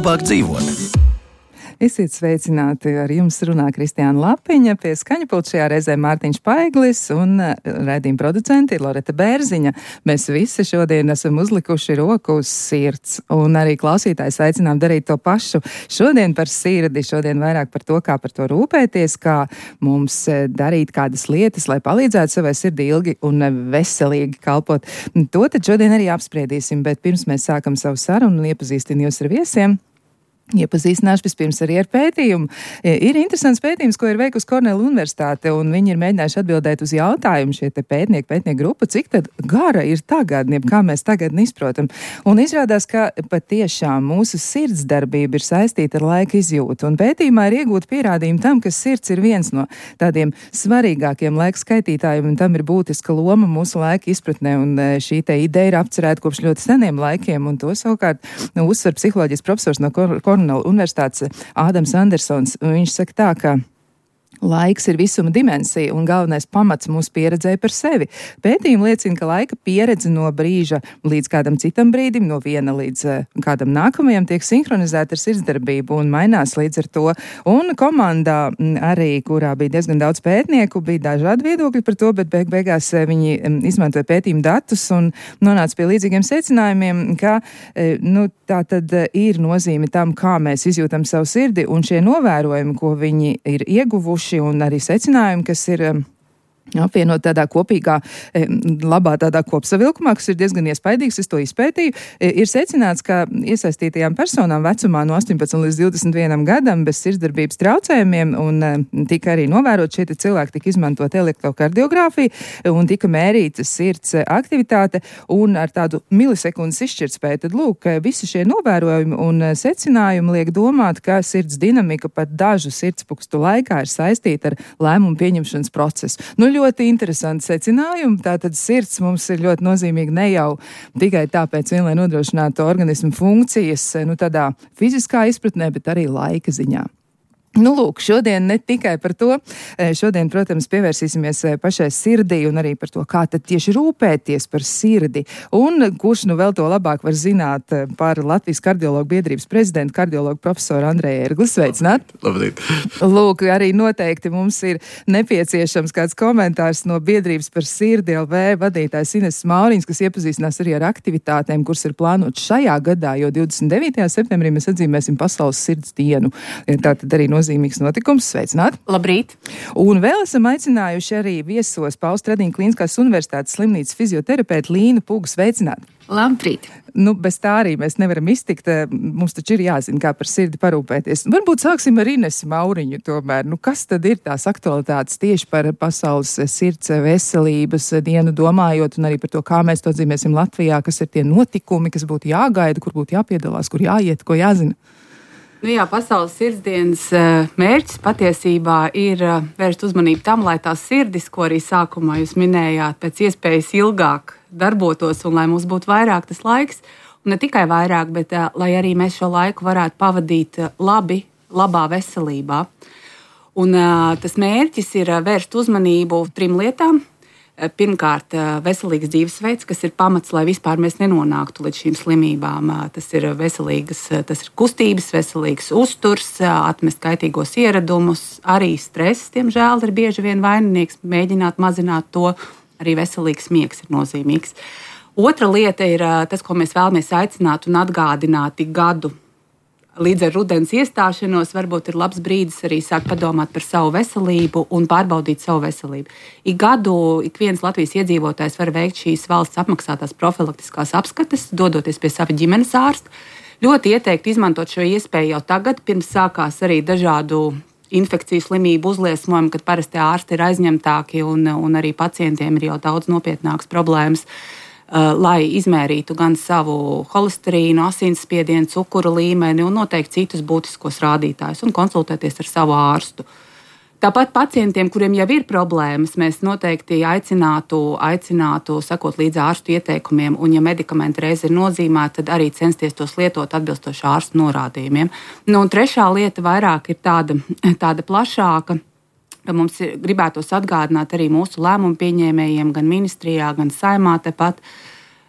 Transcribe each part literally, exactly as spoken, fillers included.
labāk dzīvot. Esiet sveicināti, ar jums runā Kristiāna Lapiņa, pie skaņapulta šajā reizē Mārtiņš Paiglis un raidījuma producenti ir Loreta Bērziņa. Mēs visi šodien esam uzlikuši roku uz sirds un arī klausītājs aicinām darīt to pašu. Šodien par sirdi, šodien vairāk par to, kā par to rūpēties, kā mums darīt kādas lietas, lai palīdzētu savai sirdī ilgi un veselīgi kalpot. To tad šodien arī apspriedīsim, bet pirms mēs sākam savu sarunu un iepazīstin jūs ar viesiem. Iepazīstināšu vispirms arī ar pētījumu. Ir interesants pētījums, ko ir veikusi Kornela Universitāte, un viņi ir mēģinājuši atbildēt uz jautājumu šie te pētnieki, pētnieku grupa, cik tad gara ir tagadne, kā mēs tagad izprotam. Un izrādās, ka patiešām mūsu sirdsdarbība ir saistīta ar laika izjūtu, un pētījumā ir iegūti pierādījumi tam, ka sirds ir viens no tādiem svarīgākiem laika skaitītājiem, un tam ir būtiska loma mūsu laika izpratnē, un šī te ideja ir apcerēta kopš ļoti seniem laikiem, un to savukārt nu, uzsver psiholoģijas profesors no Kornela Universitātes Ādams Andersons. Viņš saka tā, ka laiks ir visuma dimensija un galvenais pamats mūsu pieredzēja par sevi. Pētījumi liecina, ka laika pieredze no brīža līdz kādam citam brīdim, no viena līdz uh, kādam nākamajam tiek sinhronizēta ar sirdsdarbību un mainās līdz ar to. Un komandā m, arī, kurā bija diezgan daudz pētnieku, bija dažādi viedokļi par to, bet beig beigās uh, viņi um, izmantoja pētījumu datus un nonāca pie līdzīgiem secinājumiem, ka uh, nu, tā tad uh, ir nozīme tam, kā mēs izjūtam savu sirdi, un šie novērojumi, ko viņi ir ieguvuši, un arī secinājumi, kas ir apvienot tādā kopīgā, labā tādā kopsavilkumā, kas ir diezgan iespaidīgs, es to izpētīju, ir secināts, ka iesaistītajām personām vecumā no astoņpadsmit līdz divdesmit vienam gadam bez sirdsdarbības traucējumiem un tika arī novērot šie cilvēki, tika izmantot elektrokardiogrāfiju un tika mērīta sirds aktivitāte un ar tādu milisekundes izšķirtspēju. Tad lūk, visi šie novērojumi un secinājumi liek domāt, ka sirds dinamika pat dažu sirdspukstu laikā ir saistīta ar lēmumu pieņemšanas procesu. Nu, ļoti interesanti secinājumi. Tātad sirds mums ir ļoti nozīmīga ne jau tikai tāpēc vien, lai nodrošinātu organismu funkcijas, nu tādā fiziskā izpratnē, bet arī laika ziņā. Nu, lūk, šodien ne tikai par to. Šodien, protams, pievērsīsimies pašai sirdī un arī par to, kā tad tieši rūpēties par sirdi. Un kurš nu vēl to labāk var zināt par Latvijas kardiologu biedrības prezidentu, kardiologu profesoru Andreju Ērgli. Sveicināt! Labdien! Lūk, arī noteikti mums ir nepieciešams kāds komentārs no biedrības par sirdi L V vadītājs Ines Mauriņas, kas iepazīstinās arī ar aktivitātēm, kuras ir plānotas šajā gadā, jo divdesmit devītajā septembrī mēs atzīmēsim Pasaules sirds dienu. Tātad arī nozīmīgs notikums. Sveicināt! Labrīt! Un vēl esam aicinājuši arī viesos Pauls Stradiņa Klīniskās universitātes slimnīcas fizioterapeitu Līnu Pugu. Sveicināt! Labrīt! Nu, bez tā arī mēs nevaram iztikt. Mums taču ir jāzina, kā par sirdi parūpēties. Varbūt sāksim ar Inesu Mauriņu tomēr. Nu, kas tad ir tās aktualitātes tieši par Pasaules sirds veselības dienu domājot un arī par to, kā mēs to atzīmēsim Latvijā, kas ir tie notikumi, kas būtu jāgaida, kur būtu jāpiedalās, kur jāiet, ko jāzina? Nu jā, Pasaules sirdsdienas mērķis patiesībā ir vērst uzmanību tam, lai tās sirdis, ko arī sākumā jūs minējāt, pēc iespējas ilgāk darbotos un lai mums būtu vairāk tas laiks, un ne tikai vairāk, bet lai arī mēs šo laiku varētu pavadīt labi, labā veselībā. Un tas mērķis ir vērst uzmanību trim lietām. Pirmkārt, veselīgs dzīvesveids, kas ir pamats, lai vispār mēs nenonāktu līdz šīm slimībām. Tas ir veselīgas, tas ir kustības, veselīgs uzturs, atmest kaitīgos ieradumus, arī stress, diemžēl, ir bieži vien vaininieks, mēģināt mazināt to, arī veselīgs miegs ir nozīmīgs. Otra lieta ir tas, ko mēs vēlamies aicināt un atgādināt ik gadu. Līdz ar rudens iestāšanos varbūt ir labs brīdis arī sākt padomāt par savu veselību un pārbaudīt savu veselību. Ik gadu ik viens Latvijas iedzīvotājs var veikt šīs valsts apmaksātās profilaktiskās apskates, dodoties pie sava ģimenes ārsta. Ļoti ieteiktu izmantot šo iespēju jau tagad, pirms sākās arī dažādu infekciju slimību uzliesmojumi, kad parasti ārsti ir aizņemtāki un, un arī pacientiem ir jau daudz nopietnākas problēmas. Lai izmērītu gan savu holesterīnu, asinsspiedienu, cukuru līmeni un noteikti citus būtiskos rādītājus un konsultēties ar savu ārstu. Tāpat pacientiem, kuriem jau ir problēmas, mēs noteikti aicinātu, aicinātu sekot līdzi ārstu ieteikumiem, un ja medikamenti reiz ir nozīmēti, tad arī censties tos lietot atbilstoši ārstu norādījumiem. Nu, un trešā lieta vairāk ir tāda, tāda plašāka. Mums gribētos atgādināt arī mūsu lēmumu pieņēmējiem, gan ministrijā, gan saimā tepat,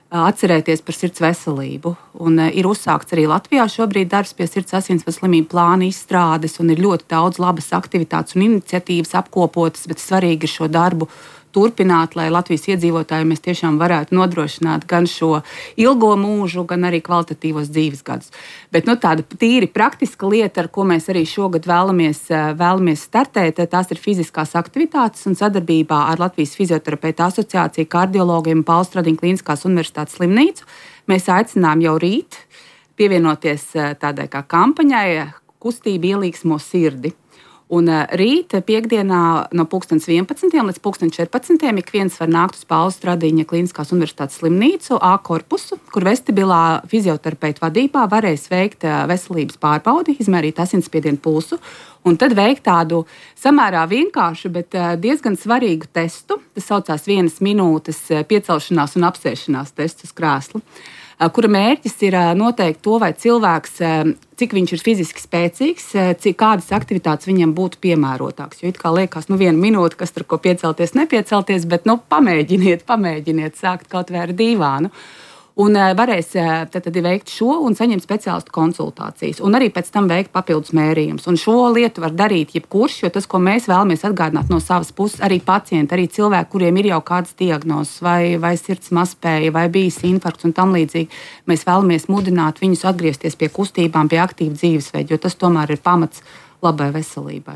atcerēties par sirds veselību. Un ir uzsākts arī Latvijā šobrīd darbs pie sirds asinsvadu slimību plāna izstrādes, un ir ļoti daudz labas aktivitātes un iniciatīvas apkopotas, bet svarīgi ir šo darbu turpināt, lai Latvijas iedzīvotājiem mēs tiešām varētu nodrošināt gan šo ilgo mūžu, gan arī kvalitatīvos dzīves gadus. Bet nu, tāda tīri praktiska lieta, ar ko mēs arī šogad vēlamies, vēlamies startēt, tās ir fiziskās aktivitātes un sadarbībā ar Latvijas fizioterapeitu asociāciju, kardiologiem un Paula Stradiņa Kliniskās universitātes slimnīcu. Mēs aicinām jau rīt pievienoties tādai kā kampaņai kustība ielīgsmo sirdi. Un rīt, piekdienā, no pulkstens vienpadsmitiem līdz pulksten četrpadsmitiem ik viens var nākt uz Paula Stradiņa Kliniskās universitātes slimnīcu A korpusu, kur vestibilā fizioterapeitu vadībā varēs veikt veselības pārbaudi, izmērīt asinsspiedienu pulsu, un tad veikt tādu samērā vienkāršu, bet diezgan svarīgu testu. Tas saucās vienas minūtes piecelšanās un apsēšanās tests uz krēslu, kura mērķis ir noteikt to, vai cilvēks, cik viņš ir fiziski spēcīgs, cik kādas aktivitātes viņam būtu piemērotākas. Jo it kā liekas, nu viena minūte, kas tur ko piecelties, nepiecelties, bet nu pamēģiniet, pamēģiniet sākt kaut vai ar dīvānu. Un varēs tad, tad veikt šo un saņemt speciālistu konsultācijas. Un arī pēc tam veikt papildus mērījumus. Un šo lietu var darīt jebkurš, jo tas, ko mēs vēlamies atgādināt no savas puses, arī pacienti, arī cilvēki, kuriem ir jau kādas diagnozes, vai, vai sirds mazspēja, vai bijis infarkts un tam līdzīgi, mēs vēlamies mudināt viņus atgriezties pie kustībām, pie aktīva dzīvesveida, jo tas tomēr ir pamats labai veselībai.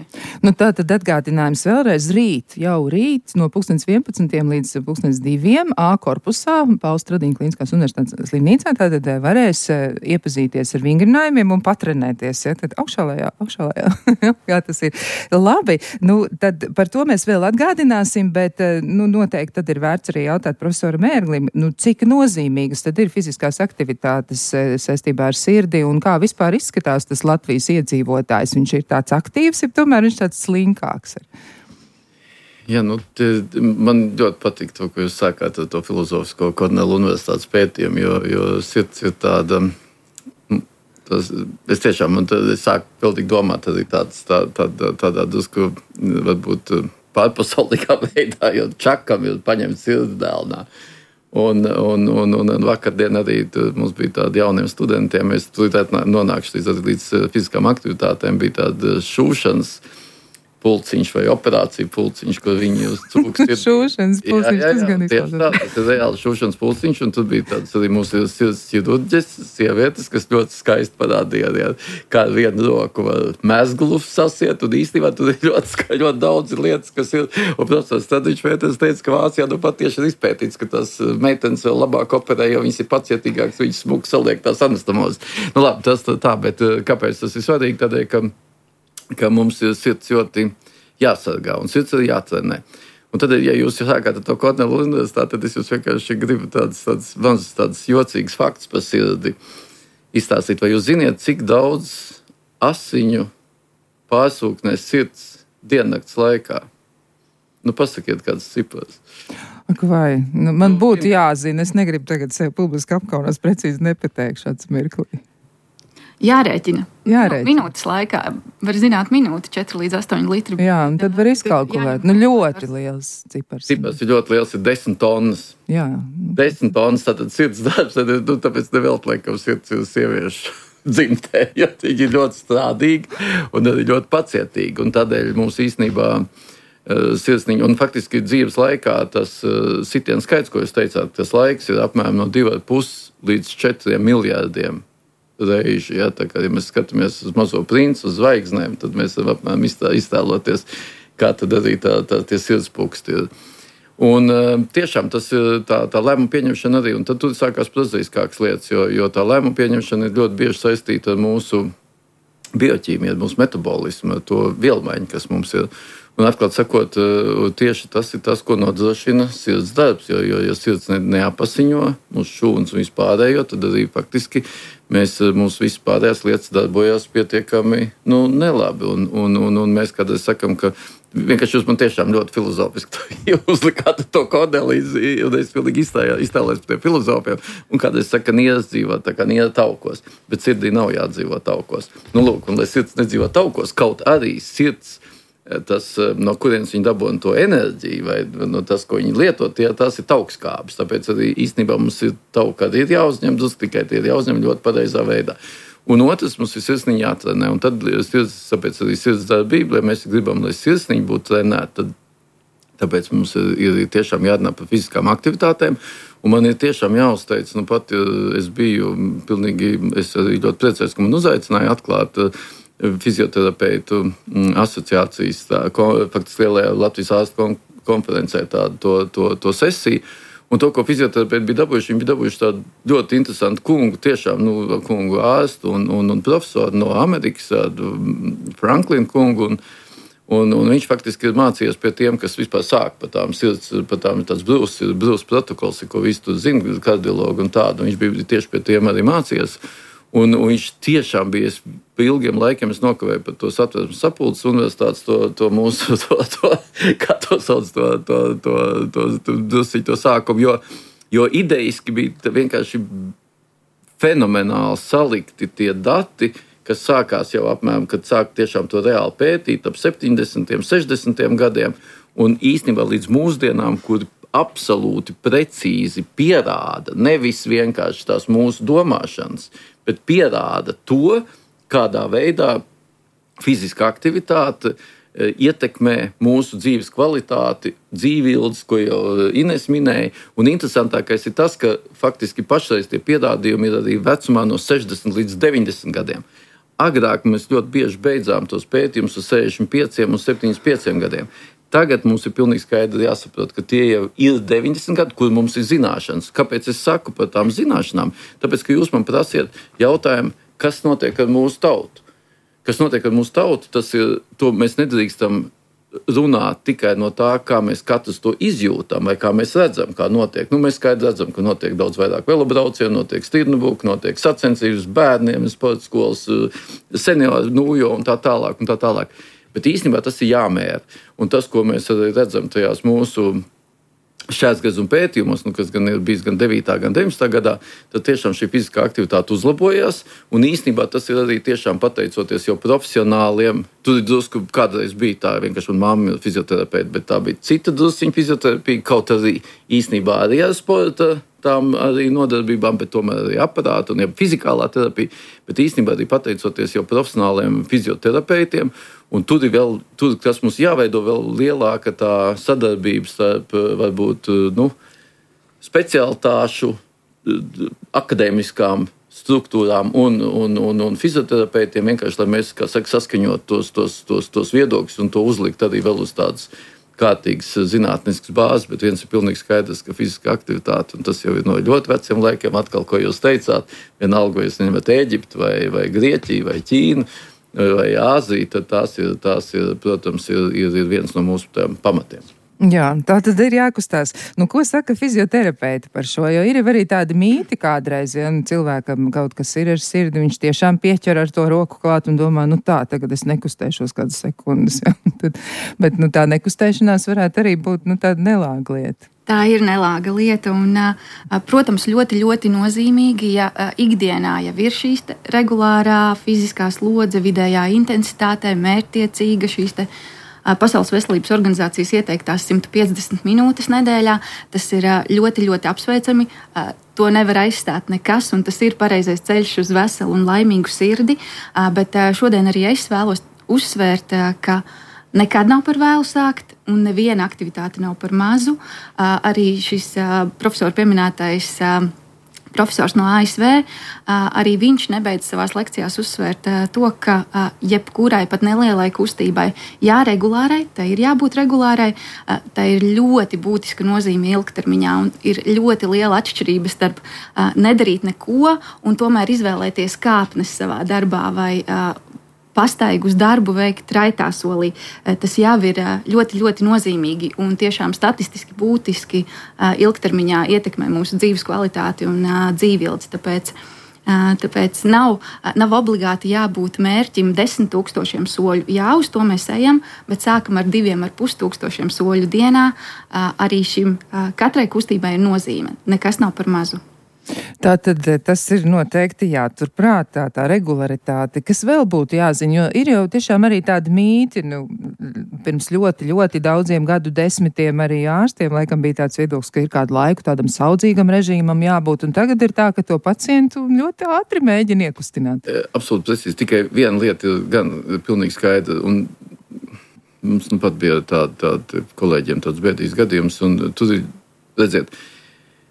Nu, tā tad atgādinājums vēlreiz rīt, jau rīt, no pulkstens vienpadsmitiem līdz pulkstens diviem A korpusā, Paula Stradiņa Kliniskās universitātes slimnīcā, tātad varēs iepazīties ar vingrinājumiem un patrenēties. Ja? Tad augšā lejā, augšā lejā. Jā, tas ir labi. Nu, tad par to mēs vēl atgādināsim, bet nu, noteikti tad ir vērts arī jautāt profesoram Ērglim, nu, cik nozīmīgas tad ir fiziskās aktivitātes saistībā ar sirdi un kā vispār izskatās tas Latvijas iedzīvotājs. Viņš ir tāds aktīvs, ja tomēr viņš tāds slinkāks ir. Jā, nu, te, man ļoti patīk to, ko jūs sākāt ar to filozofisko Kornela universitātes pētījumu, jo, jo sirds ir tāda, tas, es tiešām, man tad, es sāku vēl tik domāt arī tāds, tā, tādā, tādā drusku, varbūt pārpasaulīgā veidā, jo čakam ir paņemt sirdi dēlnā. Un, un, un, un vakardien arī mums bija tādi jauniem studentiem, mēs nonākuši līdz, līdz fiziskām aktivitātēm, bija tāda šūšanas pulciņš vai operācija pulciņš, kur viņi uz cūku sirdi. Šūšanas pulciņš, jā, jā, jā, tas gan izklausās. Tā, tas ir reāli šūšanas pulciņš, un tur bija tāds arī mūsu sirds ķirurģis, sievietes, kas ļoti skaisti parādīja, jā, kā vienu roku var mezglu sasiet, un īstenībā tur ir ļoti skaļi, ļoti daudz lietas, kas ir, un profesors Stradiņš Vēters teica, ka Vācijā nu pat tieši ir izpētīts, ka tās meitenes vēl labāk operē, jo viņas ir pacietīgākas, viņas smuk saliek tās anastomozes. Nu labi, tas tā, bet kāpēc tas ir svarīgi? Tādēļ, ka ka mums ir sirds ļoti jāsargā un sirds ir jātrenē. Un tad, ja jūs sākāt ar to Kornela universitāti, tad es jūs vienkārši gribu tādas, tādas, tādas, tādas jocīgas faktus par sirdi izstāstīt. Vai jūs ziniet, cik daudz asiņu pārsūknēs sirds diennakts laikā? Nu, pasakiet kādas cipras. Ak, vai? Nu, man būtu jāzina. Es negribu tagad sev publiski apkaunās, precīzi nepateikšu šāds mirklī. Jārēķina. Jārēķina. Nu, minūtes laikā var zināt minūti, četri līdz astoņi litri. Jā, un tad var izkalkulēt. Nu, ļoti liels cipars. Cipars ir ļoti liels, ir desmit tonnas. Jā. Desmit tonnas, tātad sirds darbs, tad, nu, tāpēc neveltlēk, ka sirds ir sieviešu dzimtē, jo viņi ir ļoti strādīgi un arī ļoti pacietīgi. Un tādēļ mums īstenībā uh, sirsniņa, un faktiski dzīves laikā tas uh, sitiens skaits, ko jūs teicāt, tas laiks ir apmēram no divi ar pus līdz četriem miljārdiem. Reiži, ja, tā kā, ja mēs skatāmies uz mazo princu, uz zvaigznēm, tad mēs varam apmēram iztēloties, kā tad arī tā, tā, tie sirdspūksti ir. Un tiešām tas ir tā, tā lēmuma pieņemšana arī, un tad tur sākās prozaiskākas lietas, jo, jo tā lēmuma pieņemšana ir ļoti bieži saistīta ar mūsu bioķīmiju, ar mūsu metabolismu, ar to vielmaiņu, kas mums ir. Un atklāt sakot, tieši tas ir tas, ko nodrošina sirds darbs, jo, jo ja sirds ne, neapasiņo mūsu šūnas un vispārējo, tad arī faktiski mēs, mūsu vispārējās lietas darbojās pietiekami nu, nelabi. Un, un, un, un mēs kādreiz sakam, ka vienkārši jūs man tiešām ļoti filozofiski uzlikāt to kodeli, un es pilnīgi iztēlējos par tiem filozofiem, un kādreiz saka, ka nieras dzīvo tā kā niera taukos, bet sirdī nav jādzīvo taukos. Nu, lūk, un lai sirds nedzīvo taukos, kaut arī sirds tas, no kurienes viņi dabūna to enerģiju, vai no tas, ko viņi lieto, tie, tās ir taukskābes. Tāpēc arī īstenībā mums ir tauka, kad ir jāuzņem, drusku tikai tie ir jāuzņem ļoti pareizā veidā. Un otrs, mums ir sirsniņa jātrenē, un tad, tāpēc arī sirds darbība, lai mēs gribam, lai sirsniņa būtu trenēta, tad tāpēc mums ir, ir tiešām jārunā par fiziskām aktivitātēm, un man ir tiešām jāuzteic, nu pat es biju pilnīgi, es arī ļoti priecājos, ka man uzaicināja atklāt fizioterapeitu asociācijas, tā, faktiski lielajā Latvijas ārstu konferencē tādu to, to, to sesiju. Un to, ko fizioterapeiti bija dabūjuši, viņi bija dabūjuši tādu ļoti interesantu kungu, tiešām nu, kungu ārstu un, un, un profesoru no Amerikas, Franklin kungu. Un, un, un viņš faktiski ir mācījies pie tiem, kas vispār sāk par tām sirds, par tām tāds brūs, brūs protokols, ko visi tur zina, kardiologi un tādu. Viņš bija tieši pie tiem arī mācījies. Un, un viņš tiešām bija, es pa ilgiem laikiem es nokavēju par to satversmes sapulces universitātes, to, to mūsu, to, to, kā to sauc, to, to, to, to, to, to, to sākumu, jo, jo ideiski bija vienkārši fenomenāli salikti tie dati, kas sākās jau apmēram, kad sāk tiešām to reāli pētīt, ap septiņdesmitiem, sešdesmitiem gadiem, un īstenībā līdz mūsdienām, kur absolūti precīzi pierāda nevis vienkārši tās mūsu domāšanas, bet pierāda to, kādā veidā fiziska aktivitāte ietekmē mūsu dzīves kvalitāti, dzīvildzi, ko jau Ines minēja. Un interesantākais ir tas, ka faktiski pašreiz tie pierādījumi ir arī vecumā no sešdesmit līdz deviņdesmit gadiem. Agrāk mēs ļoti bieži beidzām tos pētījumus uz sešdesmit pieciem un septiņdesmit pieciem gadiem. Tagad mums ir pilnīgi skaidri jāsaprot, ka tie jau ir deviņdesmit gadi, kur mums ir zināšanas. Kāpēc es saku par tām zināšanām? Tāpēc, ka jūs man prasiet jautājumu, kas notiek ar mūsu tautu. Kas notiek ar mūsu tautu, tas ir, to mēs nedrīkstam runāt tikai no tā, kā mēs katrs to izjūtam vai kā mēs redzam, kā notiek. Nu, mēs skaidri redzam, ka notiek daudz vairāk velobraucienu, notiek stirnbuku, notiek sacensības bērniem, sporta skolas, senioru nūjo un tā tālāk un tā tālāk. Bet īstenībā tas ir jāmēra. Un tas, ko mēs arī redzam tajās mūsu šķērsgriezuma pētījumos, nu, kas gan ir bijis gan devītā, gan deviņdesmitā gadā, tad tiešām šī fiziskā aktivitāte uzlabojās. Un īstenībā tas ir arī tiešām pateicoties jau profesionāliem. Tur drusku kādreiz bija tā, vienkārši man mamma ir fizioterapeita, bet tā bija cita drusciņa fizioterapija, kaut arī īstenībā arī ar sporta tām arī nodarbībām, bet tomēr arī aparāta un ja fizikālā terapija, bet īstenībā arī pateicoties jau profesionāliem fizioterapeitiem. Un tur ir vēl, tur, kas mums jāveido vēl lielāka tā sadarbība starp varbūt nu, specialitāšu, akadēmiskām struktūrām un, un, un, un fizioterapeitiem, vienkārši, lai mēs, kā saka, saskaņot tos, tos, tos, tos viedokļus un to uzlikt arī vēl uz tādas kārtīgas zinātniskas bāzes, bet viens ir pilnīgi skaidrs, ka fiziska aktivitāte, un tas jau ir no ļoti veciem laikiem, atkal, ko jūs teicāt, vienalga, vai jūs neņemat Ēģipti, vai, vai Grieķiju, vai Ķīnu, vai Āziju, tad tās ir, tās ir protams, ir, ir, ir viens no mūsu pamatiem. Jā, tā tad ir jākustās. Nu, ko saka fizioterapeiti par šo? Jo ir arī tādi mīti kādreiz, ja nu, cilvēkam kaut kas ir ar sirdi, viņš tiešām pieķer ar to roku klāt un domā, nu tā, tagad es nekustēšos kādas sekundes. Ja? Tad, bet nu, tā nekustēšanās varētu arī būt nu, tāda nelāga lieta. Tā ir nelāga lieta un, protams, ļoti, ļoti nozīmīgi, ja ikdienā jau ir šīs regulārā fiziskā slodze, vidējā intensitātē, mērķtiecīga šīs te Pasaules veselības organizācijas ieteiktās simt piecdesmit minūtes nedēļā. Tas ir ļoti, ļoti apsveicami. To nevar aizstāt nekas, un tas ir pareizais ceļš uz veselu un laimīgu sirdi. Bet šodien arī es vēlos uzsvērt, ka nekad nav par vēlu sākt, un neviena aktivitāte nav par mazu. Arī šis profesora pieminētais profesors no A S V, arī viņš nebeidz savās lekcijās uzsvērt to, ka jebkurai pat nelielai kustībai jāregulārai, tai ir jābūt regulārai, tai ir ļoti būtiska nozīme ilgtermiņā un ir ļoti liela atšķirība starp nedarīt neko un tomēr izvēlēties kāpnes savā darbā vai pastaigu uz darbu veikt raitā solī. Tas jau ir ļoti, ļoti nozīmīgi un tiešām statistiski būtiski ilgtermiņā ietekmē mūsu dzīves kvalitāti un dzīvildzi. Tāpēc, tāpēc nav, nav obligāti jābūt mērķim desmit tūkstošiem soļu. Jā, uz to mēs ejam, bet sākam ar diviem ar pus tūkstošiem soļu dienā. Arī šim katrai kustībai ir nozīme. Nekas nav par mazu. Tātad tas ir noteikti jāturprātā, tā regularitāte, kas vēl būtu jāziņo, jo ir jau tiešām arī tādi mīti, nu, pirms ļoti, ļoti daudziem gadu desmitiem arī ārstiem, laikam bija tāds viedoklis, ka ir kādu laiku tādam saudzīgam režīmam jābūt, un tagad ir tā, ka to pacientu ļoti ātri mēģina iekustināt. Absolūti precīzi, tikai viena lieta ir gan pilnīgi skaidra, un mums nu pat bija tāda, tāda kolēģiem tāds bēdīgs gadījums, un tur ir, redziet,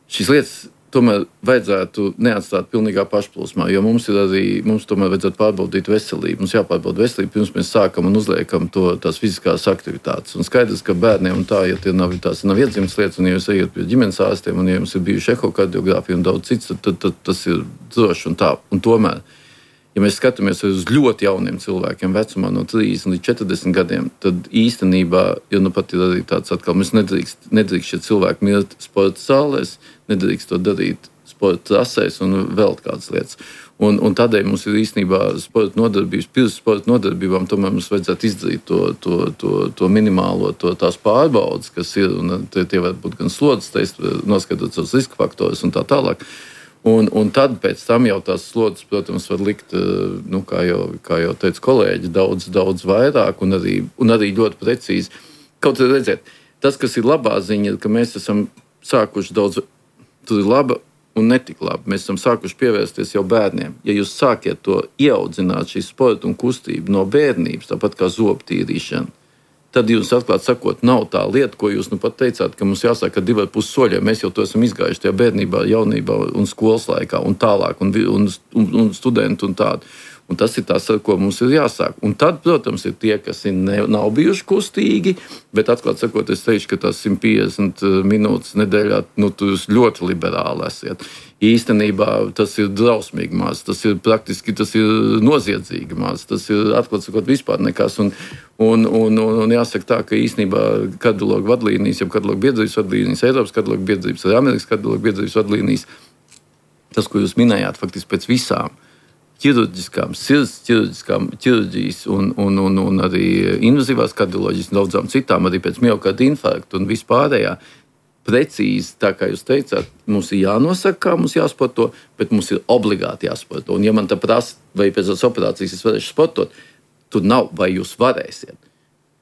šīs lietas tomēr vajadzētu neatstāt pilnīgā pašplūsmā, jo mums ir arī, mums tomēr vajadzētu pārbaudīt veselību. Mums jāpārbauda veselību, pirms mēs sākam un uzliekam to, tās fiziskās aktivitātes. Un skaidrs, ka bērniem un tā, ja tie nav, tās nav iedzimtas lietas, un ja jūs ejat pie ģimenes ārstiem, un ja jums ir bijuši ehokardiogrāfija un daudz cits, tad, tad, tad tas ir droši un tā. Un tomēr, ja mēs skatāmies uz ļoti jauniem cilvēkiem vecumā no trīsdesmit līdz četrdesmit gadiem, tad īstenībā, ja nu pat ir arī tāds atkal, mēs nedrīkst, nedrīkst šie cilvēki mirt sporta zālēs, nedrīkst to darīt sporta trasēs un vēl kādas lietas. Un, un tādēļ mums ir īstenībā sporta nodarbības, pirms sporta nodarbībām tomēr mums vajadzētu izdarīt to, to, to, to minimālo, to, tās pārbaudas, kas ir, un tie, tie var būt gan slodzes tests, noskatot savus riska faktorus un tā tālāk. Un, un tad pēc tam jau tās slodzes, protams, var likt, nu, kā jau, kā jau teica kolēģi, daudz, daudz vairāk un arī, un arī ļoti precīzi. Kaut arī redziet, tas, kas ir labā ziņa, ka mēs esam sākuši daudz, tur ir laba un netik labi. Mēs esam sākuši pievērsties jau bērniem. Ja jūs sākiet to ieaudzināt, šī sporta un kustība no bērnības, tāpat kā zobtīrīšana, tad jums atklāt sakot, nav tā lieta, ko jūs nu pat teicāt, ka mums jāsāk ar divi ar pus soļiem. Mēs jau to esam izgājuši tajā bērnībā, jaunībā un skolas laikā un tālāk, un, un, un, un studenti un tādu. Un tas ir tas, ar ko mums ir jāsāk. Un tad, protams, ir tie, kas ir ne, nav bijuši kustīgi, bet atklāt sakot, es teikšu, ka tās simt piecdesmit minūtes nedēļā, nu, jūs ļoti liberāli esiet. Īstenībā tas ir drausmīgi maz, tas ir praktiski, tas ir noziedzīgi maz, tas ir, atklāt sakot, vispār nekas. Un, un, un, un, un jāsaka tā, ka īstenībā kardiologu vadlīnijas, jau kardiologu biedrības vadlīnijas, Eiropas kardiologu biedrības, arī Amerikas kardiologu biedrības vadlīnijas, tas, ko jūs minējāt, faktiski pēc visām ķirurģiskām, sirds ķirurģiskām, ķirurģijas un, un, un, un arī invazīvās kardioloģijas un daudzām citām, arī pēc miokarda infarkta un vispārējā. Precīzi, tā kā jūs teicāt, mums ir jānosaka, kā mums jāsporto, bet mums ir obligāti jāsporto. Un ja man tā prasa, vai pēc tās operācijas es varēšu sportot, tur nav, vai jūs varēsiet.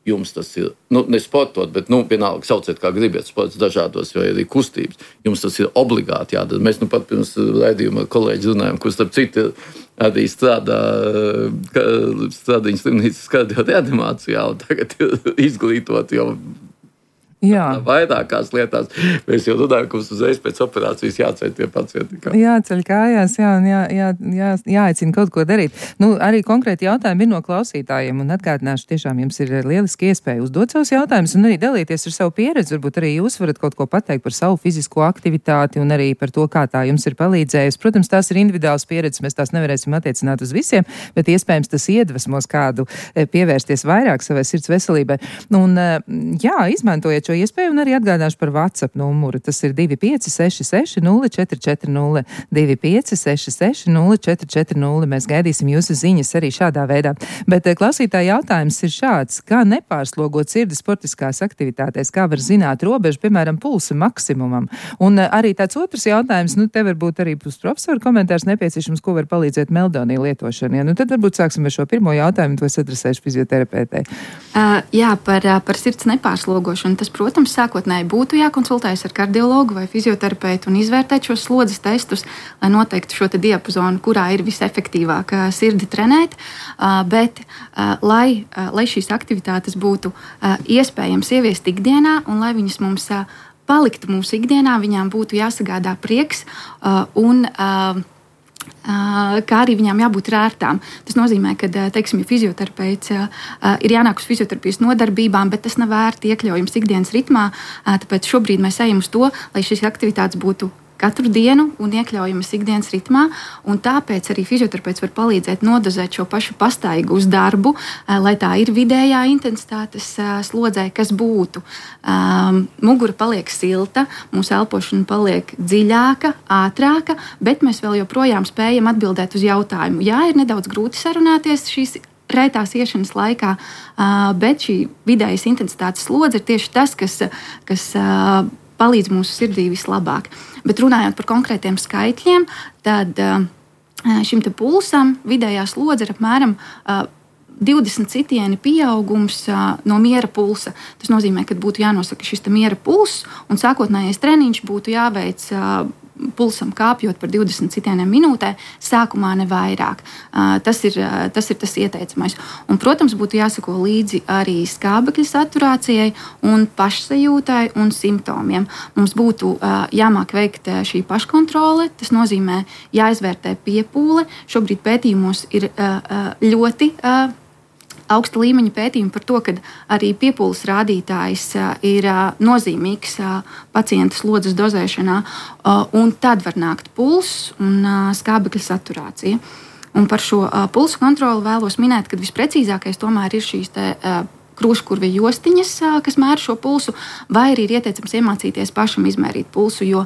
Jums tas ir, nu, ne sportot, bet, nu, vienalga sauciet, kā gribiet, sports dažādos, vai arī kustības. Jums tas ir obligāti jādara. Mēs nu pat pirms raidījuma ar kolēģi runājam, kur starp citu arī strādā Stradiņas slimnīcas kardioreanimācijā, un tagad ir izglītot jau Jā. Vairākās lietās. Mēs jau runājam, ka mums uzreiz pēc operācijas jāceļ tie pacienti. Kā. Jāceļ kājās, jā, un jā, jā, jā, jāaicina kaut ko darīt. Nu, arī konkrēti jautājumi ir no klausītājiem, un atgādināšu, tiešām jums ir lieliski iespēja uzdot savus jautājumus un arī dalīties ar savu pieredzi. Varbūt arī jūs varat kaut ko pateikt par savu fizisko aktivitāti un arī par to, kā tā jums ir palīdzējusi. Protams, tās ir individuāls pieredzes, mēs tās nevarēsim attiecināt uz visiem, bet iespējams tas iedvesmos kādu pievērsties vairāk savai sirds veselībai. Un, jā, izmantojiet šo iespēju un arī atgādāšu par WhatsApp numuru. Tas ir divi pieci seši seši nulle četri četri nulle, divi pieci seši seši nulle četri četri nulle. Mēs gaidīsim jūsu ziņas arī šādā veidā. Bet klausītāja jautājums ir šāds: kā nepārslogot sirdi sportiskās aktivitātēs, kā var zināt robežu, piemēram, pulsa maksimumam? Un arī tāds otrs jautājums, nu, te varbūt arī būs profesora komentārs nepieciešams, ko var palīdzēt meldonija lietošana. Ja? Nu, tad varbūt sāksim ar šo pirmo jautājumu, to es adresēšu fizioterapeitei. Uh, jā, par, par sirds nepārslogošanu. Tas, protams, sākotnēji būtu jākonsultējas ar kardiologu vai fizioterapeitu un izvērtēt šos slodzes testus, lai noteiktu šo te diapazonu, kurā ir visefektīvāk sirdi trenēt. Bet, lai, lai šīs aktivitātes būtu iespējams ieviest ikdienā un lai viņas mums paliktu mūsu ikdienā, viņām būtu jāsagādā prieks un kā arī viņām jābūt rērtām. Tas nozīmē, ka, teiksim, ja fizioterapeits ir jānāk uz fizioterapijas nodarbībām, bet tas nav ērti iekļaujams ikdienas ritmā, tāpēc šobrīd mēs ejam uz to, lai šīs aktivitātes būtu katru dienu un iekļaujamas ikdienas ritmā, un tāpēc arī fizioterapeits var palīdzēt nodozēt šo pašu pastaigu uz darbu, lai tā ir vidējā intensitātes slodzē, kas būtu. Um, mugura paliek silta, mūsu elpošana paliek dziļāka, ātrāka, bet mēs vēl joprojām spējam atbildēt uz jautājumu. Jā, ir nedaudz grūti sarunāties šīs rētās iešanas laikā, bet šī vidējas intensitātes slodze ir tieši tas, kas, kas palīdz mūsu sirdī vislabāk. Bet runājot par konkrētiem skaitļiem, tad uh, šim te pulsam vidējā slodze ir apmēram uh, divdesmit sitieni pieaugums uh, no miera pulsa. Tas nozīmē, ka būtu jānosaka šis miera pulss, un sākotnējais treniņš būtu jāveic uh, pulsam kāpjot par divdesmit sitieniem minūtē, sākumā ne vairāk. Uh, tas, ir, uh, tas ir tas ieteicamais. Un, protams, būtu jāsako līdzi arī skābekļa saturācijai un pašsajūtai un simptomiem. Mums būtu uh, jāmāk veikt šī paškontrole, tas nozīmē jāizvērtē piepūle. Šobrīd pētījumos ir uh, ļoti uh, augsta līmeņa pētījumi par to, ka arī piepūles rādītājs ir nozīmīgs pacienta slodzes dozēšanā, un tad var nākt pulss un skābekļa saturācija. Un par šo pulsu kontroli vēlos minēt, ka visprecīzākais tomēr ir šīs te krūškurvi jostiņas, kas mēra šo pulsu, vai arī ir ieteicams iemācīties pašam izmērīt pulsu, jo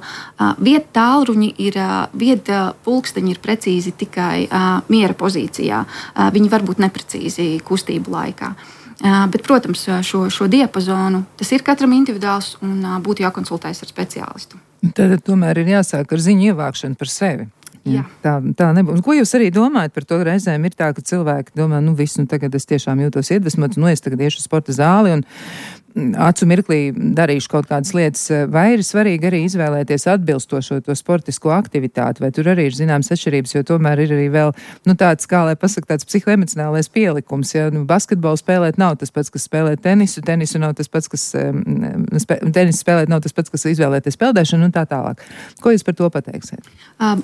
vieta tālruņi ir, vieta pulksteņi ir precīzi tikai miera pozīcijā. Viņi var būt neprecīzi kustību laikā. Bet, protams, šo, šo diapazonu tas ir katram individuāls un būtu jākonsultējas ar speciālistu. Tad tomēr ir jāsāk ar ziņu ievākšanu par sevi. Jā. Tā, tā nebūs. Ko jūs arī domājat par to? Reizēm ir tā, ka cilvēki domā, nu viss, nu tagad es tiešām jūtos iedvesmots, nu es tagad iešu uz sporta zāli un acu mirklī darīšu kaut kādas lietas. Vai ir svarīgi arī izvēlēties atbilstošo to sportisko aktivitāti, vai tur arī ir zināmas atšķirības, jo tomēr ir arī vēl, nu tāds, kā lai pasaka, tāds psihoemocionālais pielikums, ja nu, basketbolu spēlēt nav tas pats, kas spēlēt tenisu, tenisu nav tas pats, kas spē, tenisu spēlēt nav tas pats, kas izvēlēties peldēšanu un tā tālāk. Ko jūs par to pateiksiet? Um.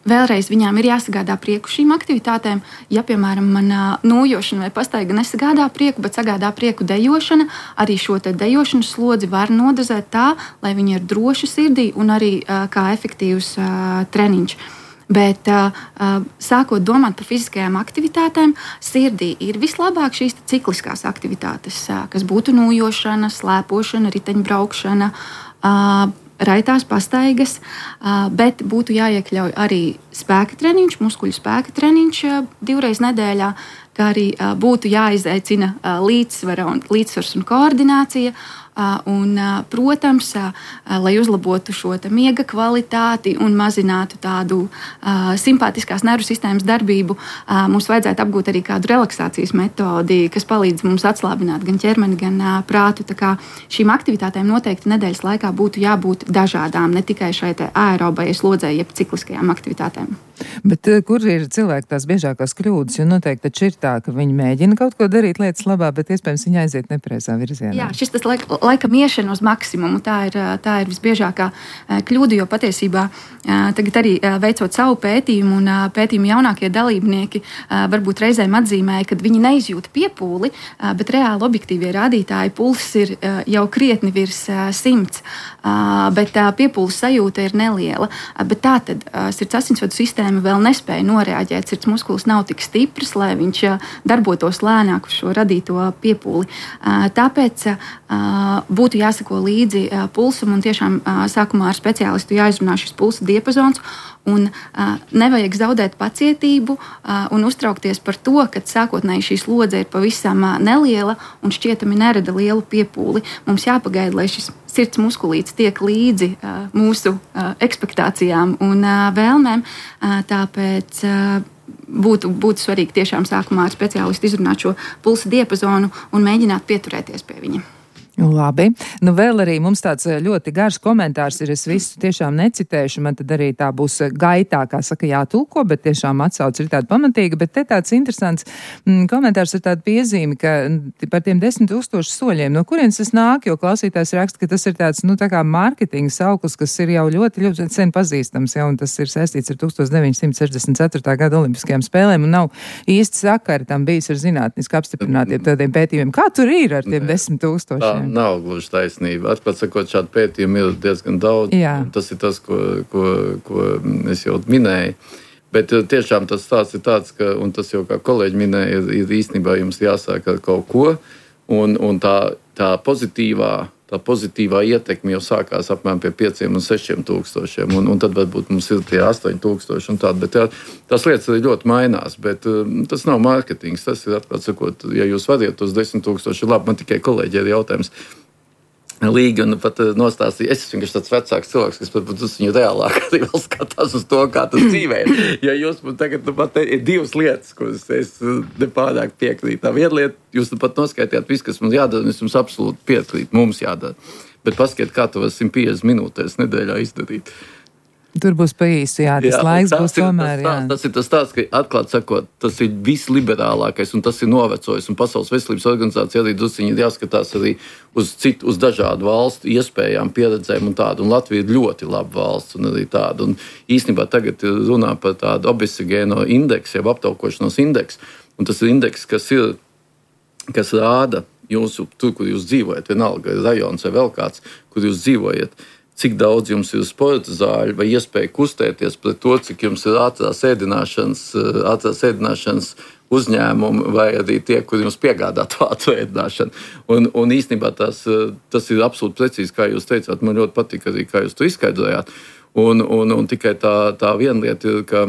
Vēlreiz viņām ir jāsagādā prieku šīm aktivitātēm. Ja, piemēram, man nojošana vai pastaiga nesagādā prieku, bet sagādā prieku dejošana, arī šo te dejošanas slodzi var nodozēt tā, lai viņi ir droši sirdī un arī kā efektīvs treniņš. Bet sākot domāt par fiziskajām aktivitātēm, sirdī ir vislabāk šīs cikliskās aktivitātes, kas būtu nojošana, slēpošana, riteņbraukšana, raitās pastaigas, bet būtu jāiekļauj arī spēka treniņš, muskuļu spēka treniņš divreiz nedēļā, kā arī būtu jāizaicina līdzsvara un, līdzsvars un koordinācija. Un, protams, lai uzlabotu šo miega kvalitāti un mazinātu tādu uh, simpātiskās nervu sistēmas darbību, uh, mums vajadzētu apgūt arī kādu relaksācijas metodi, kas palīdz mums atslābināt gan ķermeni, gan uh, prātu. Tā kā šīm aktivitātēm noteikti nedēļas laikā būtu jābūt dažādām, ne tikai šai aerobajai slodzei, jeb cikliskajām aktivitātēm. Bet kur ir cilvēki tās biežākās kļūdas? Jo noteikti taču ir tā, ka viņi mēģina kaut ko darīt lietas labā, bet iespējams viņi aiziet nepareizā virzienā. Jā, šis tas laik, laikam iešana uz maksimumu, tā ir, tā ir visbiežākā kļūda, jo patiesībā tagad arī veicot savu pētījumu un pētījumu jaunākie dalībnieki varbūt reizēm atzīmēja, ka viņi neizjūt piepūli, bet reāli objektīvie rādītāji pulss ir jau krietni virs simts, bet piepūles sajūta ir neliela. Bet tā tad sirds asinsvadu sistēma vēl nespēja noreaģēt, sirds muskulis nav tik stiprs, lai viņš darbotos lēnāk uz šo radīto piepūli. Tāpēc būtu jāsako līdzi pulsam un tiešām sākumā ar speciālistu jāizrunā šis pulsa diapazons un nevajag zaudēt pacietību un uztraukties par to, ka sākotnēji šī slodze ir pavisam neliela un šķietami nerada lielu piepūli. Mums jāpagaida, lai šis sirds muskulīts tiek līdzi mūsu ekspektācijām un vēlmēm. Tāpēc būtu, būtu svarīgi tiešām sākumā ar speciālistu izrunāt šo pulsa diapazonu un mēģināt pieturēties pie viņa. Labi. Nu vēl arī mums tāds ļoti garš komentārs ir, es visu tiešām necitēšu, man tad arī tā būs gaitā, kā saka, jātulko, bet tiešām atsauc ir tāda pamatīga, bet te tāds interesants mm, komentārs ir tāda piezīme, ka par tiem desmit tūkstošu soļiem, no kurienes tas nāk, jo klausītājs raksta, ka tas ir tāds, nu tā kā mārketinga sauklis, kas ir jau ļoti, ļoti sen pazīstams, ja, un tas ir saistīts ar tukstovs deviņsimt sešdesmit ceturtā gada olimpiskajām spēlēm, un nav īsti sakari tam bijis ar zinātniski apstiprinātiem tādiem pētījumiem. Kā tur ir ar tiem desmit tūkstošiem? Nav gluži taisnība. Atklāt sakot, šādu pētījumu ir diezgan daudz. Jā. Tas ir tas, ko, ko, ko es jau minēju. Bet tiešām tas stāsts ir tāds, ka, un tas jau kā kolēģi minēja, ir, ir īstenībā jums jāsāk ar kaut ko, un, un tā, tā pozitīvā, tā pozitīvā ietekme jau sākās apmēram pie pieciem un sešiem tūkstošiem, un, un tad varbūt mums ir tie astoņi tūkstoši un tādi, bet tā, tās lietas arī ļoti mainās, bet um, tas nav mārketings, tas ir atklāt sakot, ja jūs variet tos desmit tūkstoši, labi, man tikai kolēģi ir jautājums, Līgi un pat nostāstīja, es esmu vienkārši tāds vecāks cilvēks, kas pat uz viņu reālāk arī vēl skatās uz to, kā tas dzīvē. Ja jūs man tagad nu, pat ir divas lietas, kuras es nepārāk piekrītu. Tā viena lieta, jūs nu pat noskaitījāt visu, kas mums jādara, un es jums absolūti piekrītu, mums jādara. Bet paskatiet, kā to var simt piecdesmit minūtēs nedēļā izdarīt. Tur būs pa īsu, jā, tas jā, laiks būs ir, tomēr, tas, jā. Tas ir tas stāsts, ka atklāt sakot, tas ir visliberālākais un tas ir novecojis. Un Pasaules veselības organizācija arī drusciņi ir jāskatās arī uz citu, uz dažādu valstu iespējām, pieredzēm un tādu. Un Latvija ir ļoti laba valsts un arī tāda. Un īstenībā tagad runā par tādu obesogēno indeksu, jau aptaukošanos indeksu. Un tas ir indeks, kas ir, kas rāda jūsu, tur, kur jūs dzīvojat, vienalga rajons vai vēl kāds, kur jūs dzīvojat, cik daudz jums ir sporta zāļu vai iespēja kustēties pret to, cik jums ir ātrās ēdināšanas, ātrās ēdināšanas uzņēmumi vai arī tie, kur jums piegādā to ātrā ēdināšanu. Un, un īstenībā tas, tas ir absolūti precīzi, kā jūs teicāt. Man ļoti patīk arī, kā jūs to izskaidrojāt. Un, un, un tikai tā, tā viena lieta ir, ka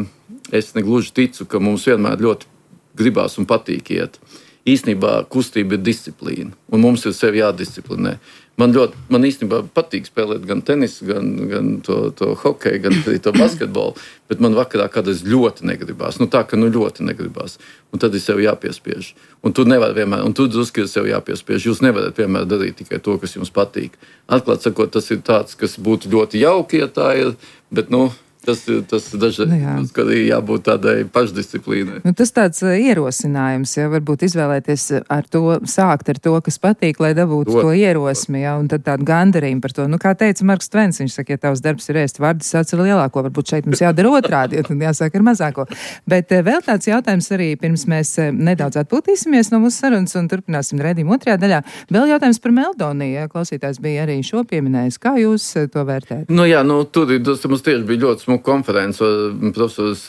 es negluži ticu, ka mums vienmēr ļoti gribās un patīk iet. Īstenībā kustība ir disciplīna, un mums ir sevi jādisciplinē. Man ļoti, man īstenībā patīk spēlēt gan tenisu, gan, gan to, to hokeju, gan arī to basketbolu, bet man vakarā kādreiz ļoti negribās. Nu tā, ka nu ļoti negribās. Un tad ir sev jāpiespiež. Un tu nevar vienmēr, un tu drusku ir sev jāpiespiež. Jūs nevarat vienmēr darīt tikai to, kas jums patīk. Atklāt sakot, tas ir tāds, kas būtu ļoti jauki, ja tā ir, bet nu... Tas ir tas dažreiz, nu, kad ir jābūt tādai pašdisciplīnai. Nu, tas tāds uh, ierosinājums, ja varbūt izvēlēties ar to, sākt ar to, kas patīk, lai dabūtu to, to ierosmi, ja, un tad tādu gandarījumu par to. Nu, kā teica Marks Tvens, viņš saka, ja tavs darbs ir ēst vardus, sāc ar lielāko, varbūt šeit mums jādara otrādi, ja tad jāsāk ar mazāko. Bet uh, vēl tāds jautājums arī, pirms mēs uh, nedaudz atpūtīsimies no mūsu sarunas un turpināsim redzījumu otrajā daļā. Vēl jautājums par Meldoniju, ja klausītājs bija arī šo pieminējis. Kā jūs uh, to vērtējat? Nu jā, nu tur ir, tas mums tieši bija ļoti konferences profesors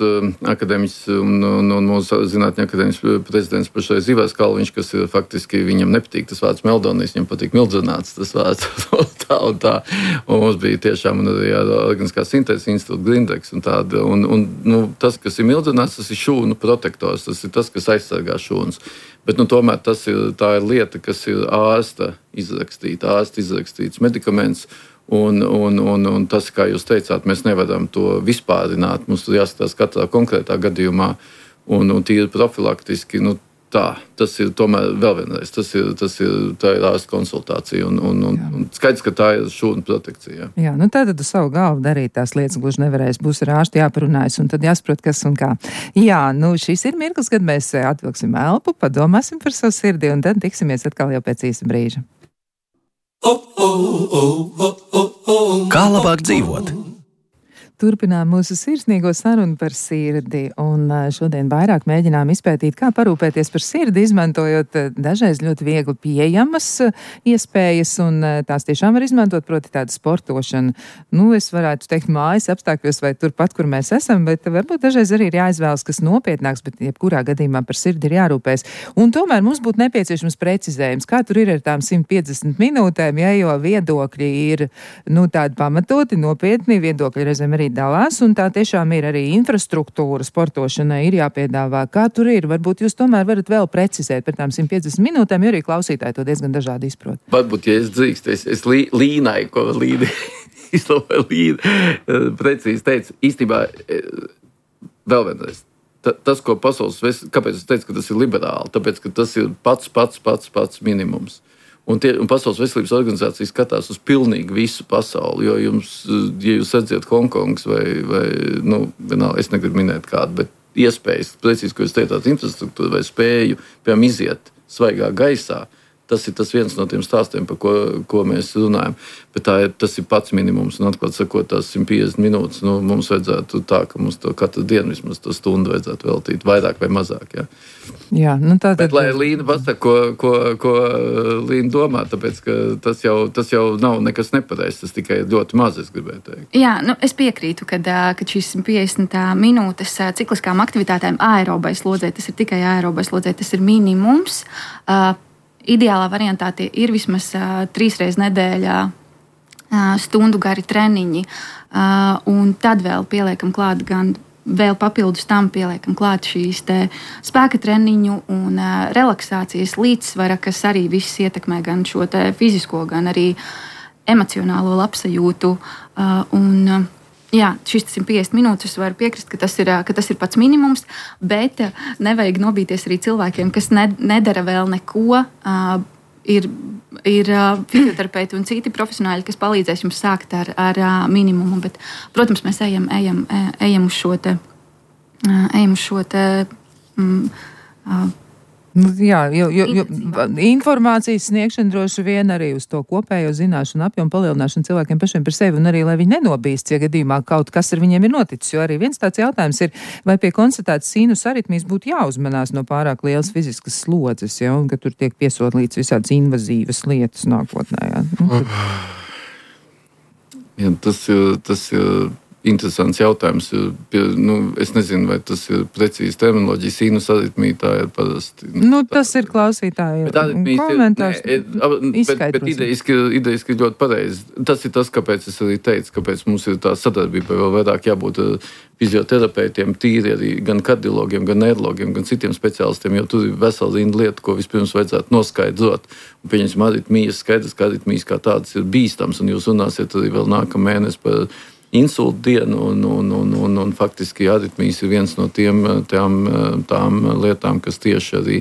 akadēmiķis un, un, un mūsu zinātņu akadēmiķis prezidents pašreiz Ivars Kalviņš, kas ir faktiski viņam nepatīk tas vārds Meldonijas, viņam patīk mildzināts tas vārds tā un tā. Un mums bija tiešām arī organiskā sintēzes institūta Grindeks un tāda. Un, un nu, tas, kas ir mildzināts, tas ir šūnu protektors, tas ir tas, kas aizsargā šūnas. Bet nu, tomēr tas ir, tā ir lieta, kas ir ārsta izrakstīta, ārsta izrakstīts medikaments. Un, un, un, un tas, kā jūs teicāt, mēs nevaram to vispārināt. Mums tur jāskatās katrā konkrētā gadījumā. Un, un tīri profilaktiski, nu tā, tas ir tomēr vēl vienreiz. Tas ir, tas ir, tā ir ārsta konsultācija. Un, un, un, un skaidrs, ka tā ir šūnu protekcija. Jā, nu tā tad uz savu galvu darīt tās lietas gluži nevarēs. Būs ar ārstu jāparunājas un tad jāsaprot, kas un kā. Jā, nu šis ir mirklis, kad mēs atvilksim elpu, padomāsim par savu sirdi un tad tiksimies atkal jau pēc īsa brīža. Kā labāk dzīvot? Turpinām mūsu sirsnīgo sarunu par sirdi, un šodien vairāk mēģinām izpētīt, kā parūpēties par sirdi, izmantojot dažreiz ļoti viegli pieejamas iespējas, un tās tiešām var izmantot, proti tādu sportošanu. Nu, es varētu teikt mājas apstākļos vai turpat, kur mēs esam, bet varbūt dažreiz arī ir jāizvēlas, kas nopietnāks, bet jebkurā gadījumā par sirdi ir jārūpēs. Un tomēr mums būtu nepieciešams precizējums, kā tur ir ar tām simt piecdesmit minūtēm, ja jo viedokļi ir, nu, tādi pamatoti, nopietni, viedokļi reizēm arī dalās, un tā tiešām ir arī infrastruktūra sportošanai ir jāpiedāvā. Kā tur ir? Varbūt jūs tomēr varat vēl precizēt par tām simt piecdesmit minūtēm, jo arī klausītāji to diezgan dažādi izprot. Varbūt, ja es drīkst, es, es lī, līnai, ko līdi, izlabēju līdi, precīzi teicu, īstenībā vēl vienreiz. Tas, ko pasaules, kāpēc es teicu, ka tas ir liberāli? Tāpēc, ka tas ir pats, pats, pats, pats minimums. Un, tie, un Pasaules veselības organizācija skatās uz pilnīgi visu pasauli, jo jums, ja jūs redzat Hongkongas vai, vai nu, vienalga, es negribu minēt kādu, bet iespējas, precīzi, ko jūs teicāt, infrastruktūra vai spēju, piemēram, iziet svaigā gaisā, tas ir tas viens no tiem stāstiem, par ko, ko mēs runājam. Bet tā ir, tas ir pats minimums, un atklāt sakot, tās simt piecdesmit minūtes, nu, mums vajadzētu tā, ka mums to katru dienu vismaz to stundu vajadzētu veltīt, vairāk vai mazāk, jā. Jā, nu tā tad... Bet, lai Līna pasaka, ko, ko, ko Līna domā, tāpēc, ka tas jau, tas jau nav nekas nepareizs, tas tikai ļoti maz, es gribēju teikt. Jā, nu, es piekrītu, kad, kad šīs simt piecdesmit minūtes cikliskām aktivitātēm aerobai slodzē, tas ir tikai aerobai slodzē, tas ir minimums. Uh, Ideālā variantā tie ir vismaz uh, trīs reizes nedēļā uh, stundu gari treniņi, uh, un tad vēl pieliekam klāt gan vēl papildus tam pieliekam klāt šīs te spēka treniņu un uh, relaksācijas līdzsvara, kas arī viss ietekmē gan šo te fizisko, gan arī emocionālo labsajūtu. Uh, un, uh, jā, šis simt piecdesmit minūtes, es varu piekrist, ka tas ir, ka tas ir pats minimums, bet uh, nevajag nobīties arī cilvēkiem, kas ne, nedara vēl neko. Uh, Ir, ir uh, fizioterapeiti un citi profesionāļi, kas palīdzēs jums sākt ar, ar uh, minimumu. Bet, protams, mēs ejam, ejam, ejam uz šo te, uh, ejam uz šo te mm, uh, Jā, jo, jo, jo informācijas sniegšana droši vien arī uz to kopējo zināšanu apjomu palielināšanu cilvēkiem pašiem par sevi un arī, lai viņi nenobīst, ja gadījumā kaut kas ar viņiem ir noticis. Jo arī viens tāds jautājums ir, vai pie konstatētas sinus aritmijas būtu jāuzmanās no pārāk lielas fiziskas slodzes, ja, un ka tur tiek piesodlīts visādas invazīvas lietas nākotnē. Ja. Nu, jā, tas ir... Tas ir... Interesants jautājums. Nu, es nezinu, vai tas ir precīzi terminoloģija. Sinus aritmija tā ir parasti. Nu, tas ir klausītāji komentārs. Ir, ne, bet bet idejiski, idejiski ļoti pareizi. Tas ir tas, kāpēc es arī teicu, kāpēc mums ir tā sadarbība vēl vairāk jābūt fizioterapeitiem, tīri arī gan kardiologiem, gan neirologiem, gan citiem speciālistiem, jo tur ir vesela rinda lieta, ko vispirms vajadzētu noskaidrot. Un pieņemsim aritmijas, skaidrs, ka aritmijas kā tādas ir bīstams, un jūs runāsiet arī vēl nākamā mēnesi par insultu dienu, un, un, un, un, un faktiski aritmijas ir viens no tiem, tām, tām lietām, kas tieši arī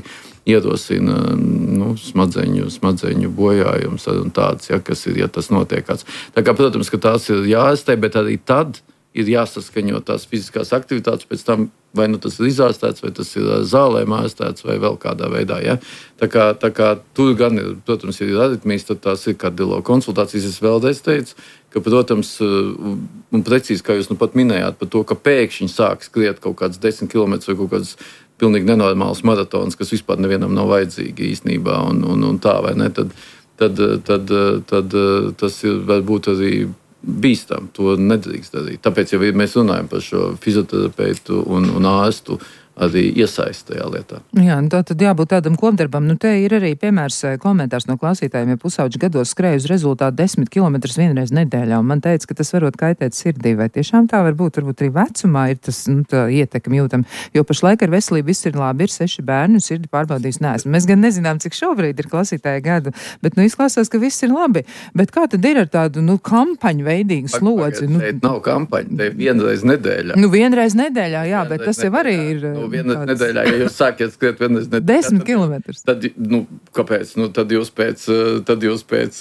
ierosina nu, smadzeņu, smadzeņu bojājums un tāds, ja, kas ir, ja tas notiek kāds. Tā kā, protams, ka tās ir jāārstē, bet arī tad ir jāsaskaņo tās fiziskās aktivitātes, pēc tam vai nu tas ir izārstēts, vai tas ir zālēm ārstēts, vai vēl kādā veidā. Ja? Tā kā, tā kā tur gan ir, protams, ir aritmijas, tad tās ir kardiologa konsultācijas. Es vēlreiz teicu, ka, protams, un precīzi, kā jūs nu pat minējāt, par to, ka pēkšņi sāk skriet kaut kāds desmit kilometrus vai kaut kāds pilnīgi nenormāls maratons, kas vispār nevienam nav vajadzīgi īstenībā, un, un, un tā, vai ne, tad, tad, tad, tad tas ir varbūt arī bīstam, to nedrīkst darīt. Tāpēc, ja mēs runājam par šo fizioterapeitu un, un ārstu, arī iesaist tajā lietā. Jā, nu tā tad jābūt tādam kopdarbam. Nu, te ir arī piemērs komentārs no klausītājiem, ja pusauģi gados skrēja uz rezultātu desmit kilometrus vienreiz nedēļā, un man teica, ka tas varot kaitēt sirdī. Vai tiešām tā var būt? Varbūt arī vecumā ir tas nu, ietekmi jūtam, jo pašlaik ar veselību viss ir labi, ir seši bērni, un sirdi pārbaudījis neesmu. Mēs gan nezinām, cik šobrīd ir klausītāja gadu, bet nu izklausās, ka viss ir labi. Bet kā tad ir ar tādu nu, kampaņu veidīgu slodzi? Nu, šeit nav kampaņa, te vienreiz nedēļā. Nu, vienreiz nedēļā, jā, vienreiz bet tas jau arī ir... Nu, vienreiz nedēļā, ja jūs sākiet skriet vienreiz nedēļā. Desmit kilometrus. Tad, nu, kāpēc? Nu, tad jūs pēc, tad jūs pēc,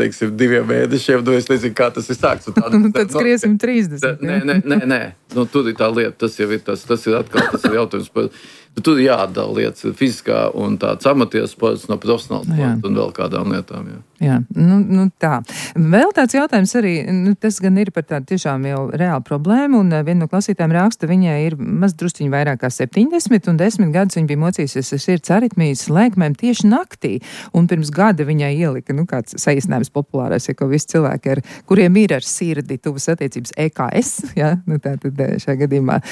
teiksim, diviem mēnešiem, nu, es nezinu, kā tas ir sāks. Tad, tad skriesim trīsdesmit. Nē, nē, nē, nē. Nu, tur ir tā lieta, tas jau ir tas, tas ir atkal, tas ir jautājums par... Tur ir jāatdala lietas fiziskā un tāds amatieru sports no profesionāla sporta un vēl kādām lietām. Jā, jā nu, nu tā. Vēl tāds jautājums arī, nu, tas gan ir par tādu tiešām jau reālu problēmu, un viena no klausītājiem raksta, viņai ir maz drusciņi vairāk kā septiņdesmit, un desmit gadus viņa bija mocījusies ar sirds aritmijas lēkmēm tieši naktī, un pirms gada viņai ielika, nu, kāds saīsinājums populārais, ja ko visi cilvēki, ar, kuriem ir ar sirdi tuvas attiecības E K S, ja, nu, tā tad šajā gadījumā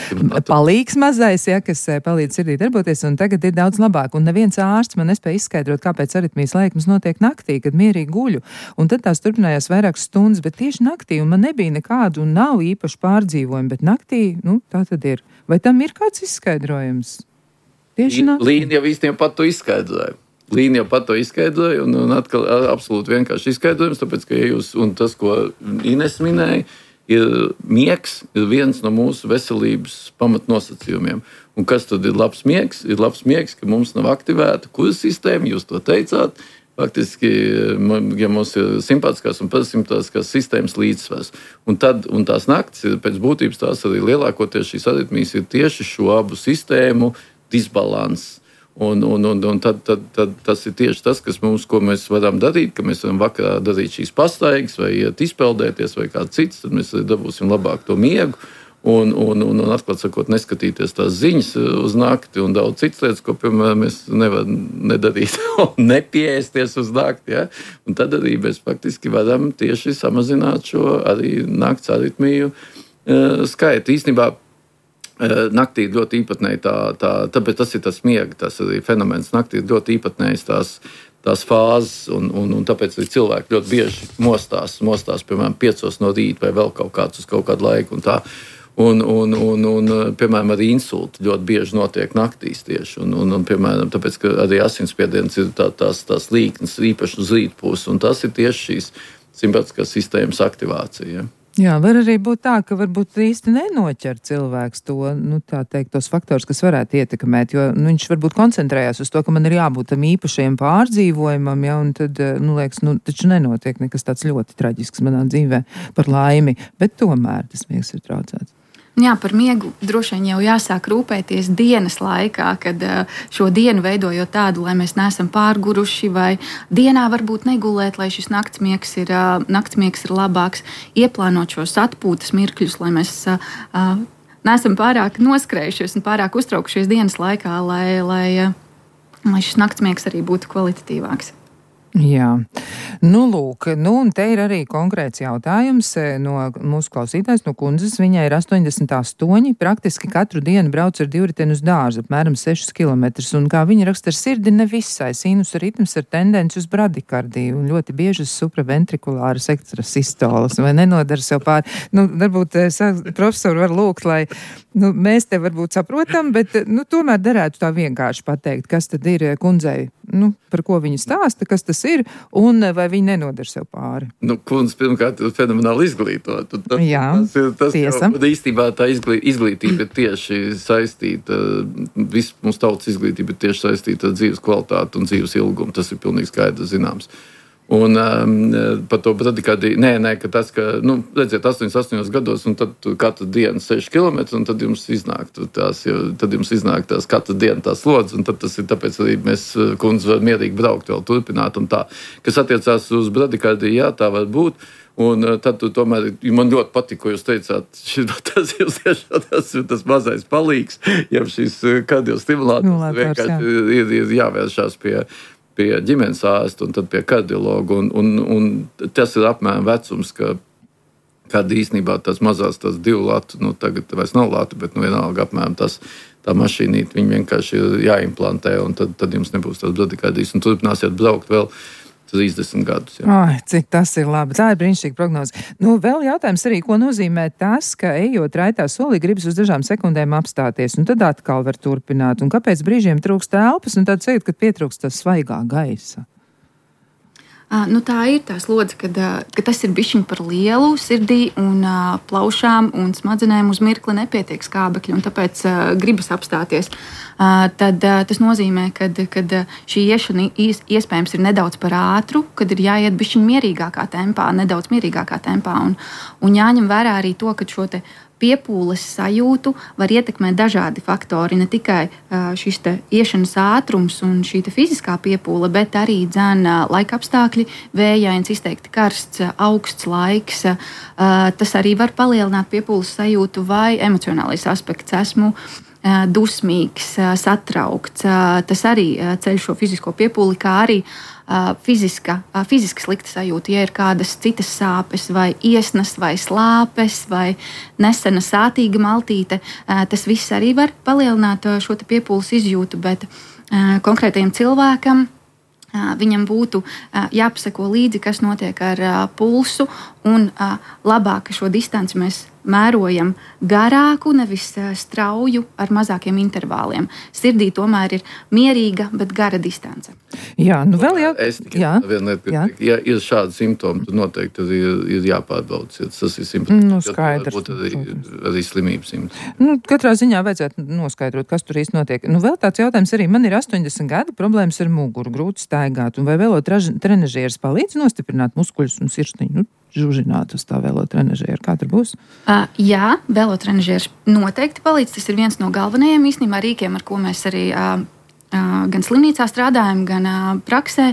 palīgs mazais, ja, kas palīdz sirdī darboties, un tagad ir daudz labāk. Un neviens ārsts man nespēja izskaidrot, kāpēc aritmijas lēkmes notiek naktī, kad mierīgi guļu. Un tad tās turpinājās vairākas stundas, bet tieši naktī, un man nebija nekādu un nav īpaši pārdzīvojumu, bet naktī, nu, tā tad ir. Vai tam ir kāds izskaidrojums? Tieši naktī. Līna jau īstenībā pat to izskaidroja. Līna jau pat to izskaidroja, un, un atkal absolūti vienkārši izskaidrojums, tāpēc, ka jūs, un tas, ko Ines minēja, ir miegs, ir viens no mūsu veselības pamatnosacījumiem. Un kas tad ir labs miegs? Ir labs miegs, ka mums nav aktivēta kura sistēma, jūs to teicāt. Faktiski, ja mums ir simpātiskās un parasimpātiskās sistēmas līdzsvars. Un, tad, un tās naktis ir pēc būtības tās arī lielākoties šīs aritmijas ir tieši šo abu sistēmu disbalans. Un, un, un, un tad, tad, tad tas ir tieši tas, kas mums, ko mēs varam darīt, ka mēs varam vakarā darīt šīs pastaigas vai iet izpeldēties vai kā cits, tad mēs dabūsim labāk to miegu. Un, un, un, un atklāt sakot, neskatīties tās ziņas uz nakti un daudz citas lietas, ko, piemēram, mēs nevaram nedarīt un nepieēsties uz nakti. Ja? Un tad arī mēs faktiski varam tieši samazināt šo arī nakts aritmiju uh, skaitu. Īstenībā uh, naktī ir ļoti īpatnēji tā, tā, tāpēc tas ir tas miega, tas arī fenomens. Naktī ir ļoti īpatnējs tās, tās fāzes, un, un, un tāpēc arī cilvēki ļoti bieži mostās, mostās, piemēram, piecos no rīta vai vēl kaut kāds uz kaut kādu laiku un tā. Un, un, un, un, piemēram, arī insulti ļoti bieži notiek naktīs tieši. Un, un, un, piemēram, tāpēc, ka arī asinsspiediens ir tā, tās, tās līknes, īpaši uz rītpusi, un tas ir tieši šīs simpātiskās sistēmas aktivācija. Ja? Jā, var arī būt tā, ka varbūt īsti nenoķer cilvēks to, nu, tā teikt, tos faktors, kas varētu ietekmēt, jo nu, viņš varbūt koncentrējās uz to, ka man ir jābūt tam īpašajam pārdzīvojumam, ja, un tad, nu, liekas, nu, taču nenotiek nekas tāds ļoti traģisks manā dzīvē par laimi, bet tomēr tas miegs ir traucēts. Jā, par miegu droši vien jau jāsāk rūpēties dienas laikā, kad šo dienu veidojot tādu, lai mēs neesam pārguruši, vai dienā varbūt negulēt, lai šis naktsmiegs ir, naktsmiegs ir labāks, ieplānot šos atpūtas mirkļus, lai mēs neesam pārāk noskrējušies un pārāk uztraukušies dienas laikā, lai, lai, lai šis naktsmiegs arī būtu kvalitatīvāks. Jā, nu lūk, nu un te ir arī konkrēts jautājums no mūsu klausītājs, no kundzes. Viņai ir astoņdesmit astoņi, praktiski katru dienu brauc ar divriteni uz dārzu, apmēram sešus kilometrus, un kā viņa raksta, ar sirdi nevisai, sinusa ritms ar tendenci uz bradikardiju, un ļoti bieži uz supraventrikulāras ekstrasistolas, vai nenodara sev pāri. Nu, varbūt profesori var lūgt, lai nu, mēs te varbūt saprotam, bet nu, tomēr derētu tā vienkārši pateikt, kas tad ir kundzei, nu, par ko viņa stāsta, kas tas ir, un vai viņi nenodara sev pāri. Nu, kundze pirmkārt ir fenomenāli izglītot. Tas, Jā, tas ir, tas tiesa. Jau, īstībā tā izglī, izglītība ir tieši saistīta, viss mums tautas izglītība ir tieši saistīta ar dzīves kvalitāti un dzīves ilgumu. Tas ir pilnīgi skaidrs zināms. Un um, par to bradikardiju, nē, nē, ka tas, ka, nu, redziet, astoņdesmit astoņos gados, un tad katru dienu seši kilometri, un tad jums iznāk tās, tad jums iznāk tās katru dienu tās slodzes, un tad tas ir tāpēc arī mēs, kundze, var mierīgi braukt vēl turpināt un tā. Kas attiecās uz bradikardiju, jā, tā var būt. Un tad tu tomēr, man ļoti patīk, ko jūs teicāt, šitā, tas jūs tiešām tas ir tas mazais palīgs, ja šis kardiostimulātors vienkārši ir, ir jāvēršās pie pie ģimenes ārsta un tad pie kardiologa. Un, un, un tas ir apmēram vecums, ka kad īstenībā tās mazās, tās divu latu, nu tagad vairs nav latu, bet nu vienalga apmēram tas, tā mašīnīte, viņi vienkārši ir jāimplantē, un tad, tad jums nebūs tās bradikardijas. Un turpināsiet braukt vēl trīsdesmit gadus. Jā. Ai, cik tas ir labi. Tā ir brīnišķīga prognoze. Nu, vēl jautājums arī, ko nozīmē tas, ka ejot raitā solī gribas uz dažām sekundēm apstāties, un tad atkal var turpināt. Un kāpēc brīžiem trūkst telpas, un tad sajūt, ka pietrūkst tas svaigā gaisa? Uh, nu, tā ir tā slodze, kad, uh, ka tas ir bišķiņ par lielu sirdī un uh, plaušām un smadzenēm uz mirkli nepietiek skābekļi, un tāpēc uh, gribas apstāties. Uh, tad uh, tas nozīmē, ka šī iešana iespējams ir nedaudz par ātru, kad ir jāiet bišķiņ mierīgākā tempā, nedaudz mierīgākā tempā, un, un jāņem vērā arī to, ka šo te piepūles sajūtu var ietekmēt dažādi faktori. Ne tikai šis te iešanas ātrums un šī te fiziskā piepūle, bet arī dzēn laika apstākļi, vējains, izteikti karsts, augsts laiks. Tas arī var palielināt piepūles sajūtu vai emocionālais aspekts. Esmu dusmīgs, satraukts. Tas arī ceļ šo fizisko piepūli, kā arī fiziska, fiziska slikta sajūta, ja ir kādas citas sāpes, vai iesnas, vai slāpes, vai nesena sātīga maltīte. Tas viss arī var palielināt šo piepūles izjūtu, bet konkrētajam cilvēkam viņam būtu jāpaseko līdzi, kas notiek ar pulsu, un labāk šo distanci mēs mērojam garāku, nevis strauju ar mazākiem intervāliem. Sirdī tomēr ir mierīga, bet gara distance. Jā, nu vēl jau... Es tikai vienu lietu, ja ir šādi simptomi, tad noteikti ir, ir jāpārbauc. Tas ir simptomi. Nu, skaidrs. Varbūt arī, arī slimības simptomi. Nu, katrā ziņā vajadzētu noskaidrot, kas tur īsti notiek. Nu, vēl tāds jautājums arī. Man ir astoņdesmit gadi, problēmas ar muguru, grūti staigāt. Un vai velotrenažieris palīdz nostiprināt muskuļus un sirsniņu? Nu, žužināt uz tā velotrenažieru. Kā tur būs? Uh, jā, velotrenažieris noteikti palīdz. Tas ir viens no galvenajiem īstenībā rīkiem, ar ko mēs arī uh, uh, gan slimnīcā strādājam, gan uh, praksē.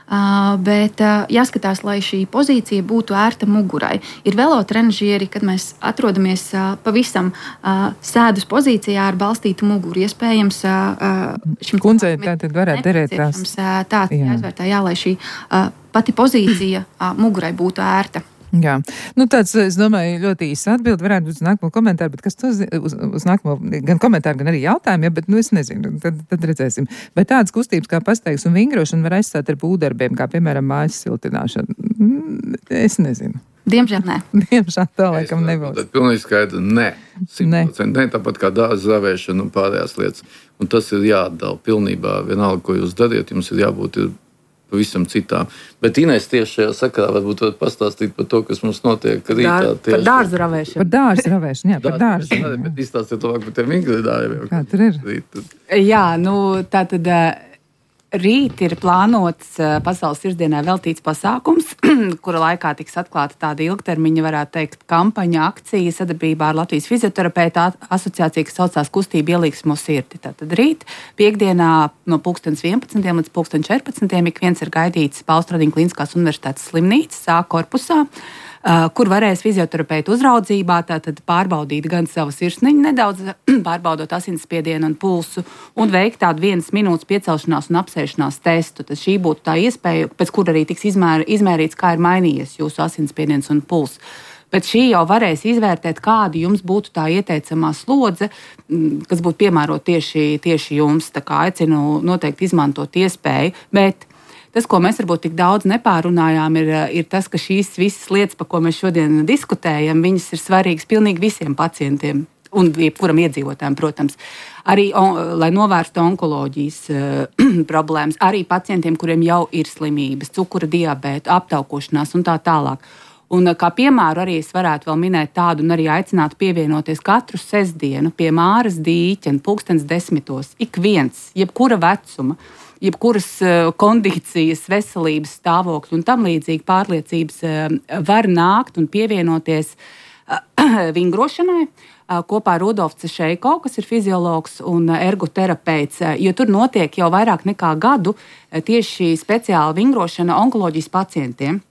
Uh, bet uh, jāskatās, lai šī pozīcija būtu ērta mugurai. Ir velotrenažieri, kad mēs atrodamies uh, pavisam uh, sēdus pozīcijā ar balstītu muguru. Iespējams, uh, šim kundzei tātad varētu derēt tās. Uh, tāds jāizvērtē, jā, lai šī uh, pati pozīcija uh, mugurai būtu ērta. Jā, nu tāds, es domāju, ļoti īsi atbild, varētu būt uz nākamo komentāru, bet kas to uz, uz nākamo, gan komentāru, gan arī jautājumu, ja, bet, nu, es nezinu, tad, tad redzēsim. Bet tādas kustības kā pastaigas un vingrošana var aizstāt ar būdarbiem, kā, piemēram, mājas siltināšana. Es nezinu. Diemžēl nē. Diemžēl tā laikam nebūs. Tas ir pilnīgi skaidrs. Nē, simt procenti nē, tāpat kā dārza zavēšana un pārējās lietas. Un tas ir jāatdala pilnībā. Vienalga, ko jūs dariet, jums ir jābūt ir pavisam citām. Bet Inês tieši šajā sakarā varbūt var pastāstīt par to, kas mums notiek rītā. Dar, par dārza ravēšanu. Par dārza ravēšanu, jā, par dārza. Bet izstāstiet labāk par tiem ingredāriem. Kā tur ir? Rīt. Jā, nu tā tad. Rīt ir plānots Pasaules sirdsdienai veltīts pasākums, kura laikā tiks atklāta tāda ilgtermiņa, varētu teikt, kampaņa, akcija sadarbībā ar Latvijas fizioterapeitu asociāciju, kas saucās Kustība ielīgsmo sirdi. Tātad rīt, piekdienā no pulkstens vienpadsmitiem līdz pulksten četrpadsmitiem ik viens ir gaidīts Paustradiņu Kliniskās universitātes slimnīcas A korpusā, kur varēs fizioterapeita uzraudzībā tātad pārbaudīt gan savu sirsniņu nedaudz, pārbaudot asinsspiedienu un pulsu, un veikt tādu vienas minūtes piecelšanās un apsēšanās testu. Tad šī būtu tā iespēja, pēc kura arī tiks izmēr, izmērīts, kā ir mainījies jūsu asinsspiediens un pulss. Bet šī jau varēs izvērtēt, kāda jums būtu tā ieteicamā slodze, kas būtu piemērota tieši, tieši jums. Tā kā aicinu noteikti izmantot iespēju, bet tas, ko mēs varbūt tik daudz nepārunājām, ir, ir tas, ka šīs visas lietas, par ko mēs šodien diskutējam, viņas ir svarīgas pilnīgi visiem pacientiem un jebkuram iedzīvotājam, protams. Arī, on, lai novērstu onkoloģijas uh, problēmas, arī pacientiem, kuriem jau ir slimības, cukura diabēta, aptaukošanās un tā tālāk. Un kā piemēru arī es varētu vēl minēt tādu un arī aicinātu pievienoties katru sestdienu pie Māras dīķa pulkstens desmitos. Ik viens, jebkura vecuma, jebkuras kondīcijas, veselības stāvokļi un tam līdzīgi pārliecības var nākt un pievienoties vingrošanai kopā ar Rudolfu Cešeiko, kas ir fiziologs un ergoterapeits, jo tur notiek jau vairāk nekā gadu tieši speciāla vingrošana onkoloģijas pacientiem.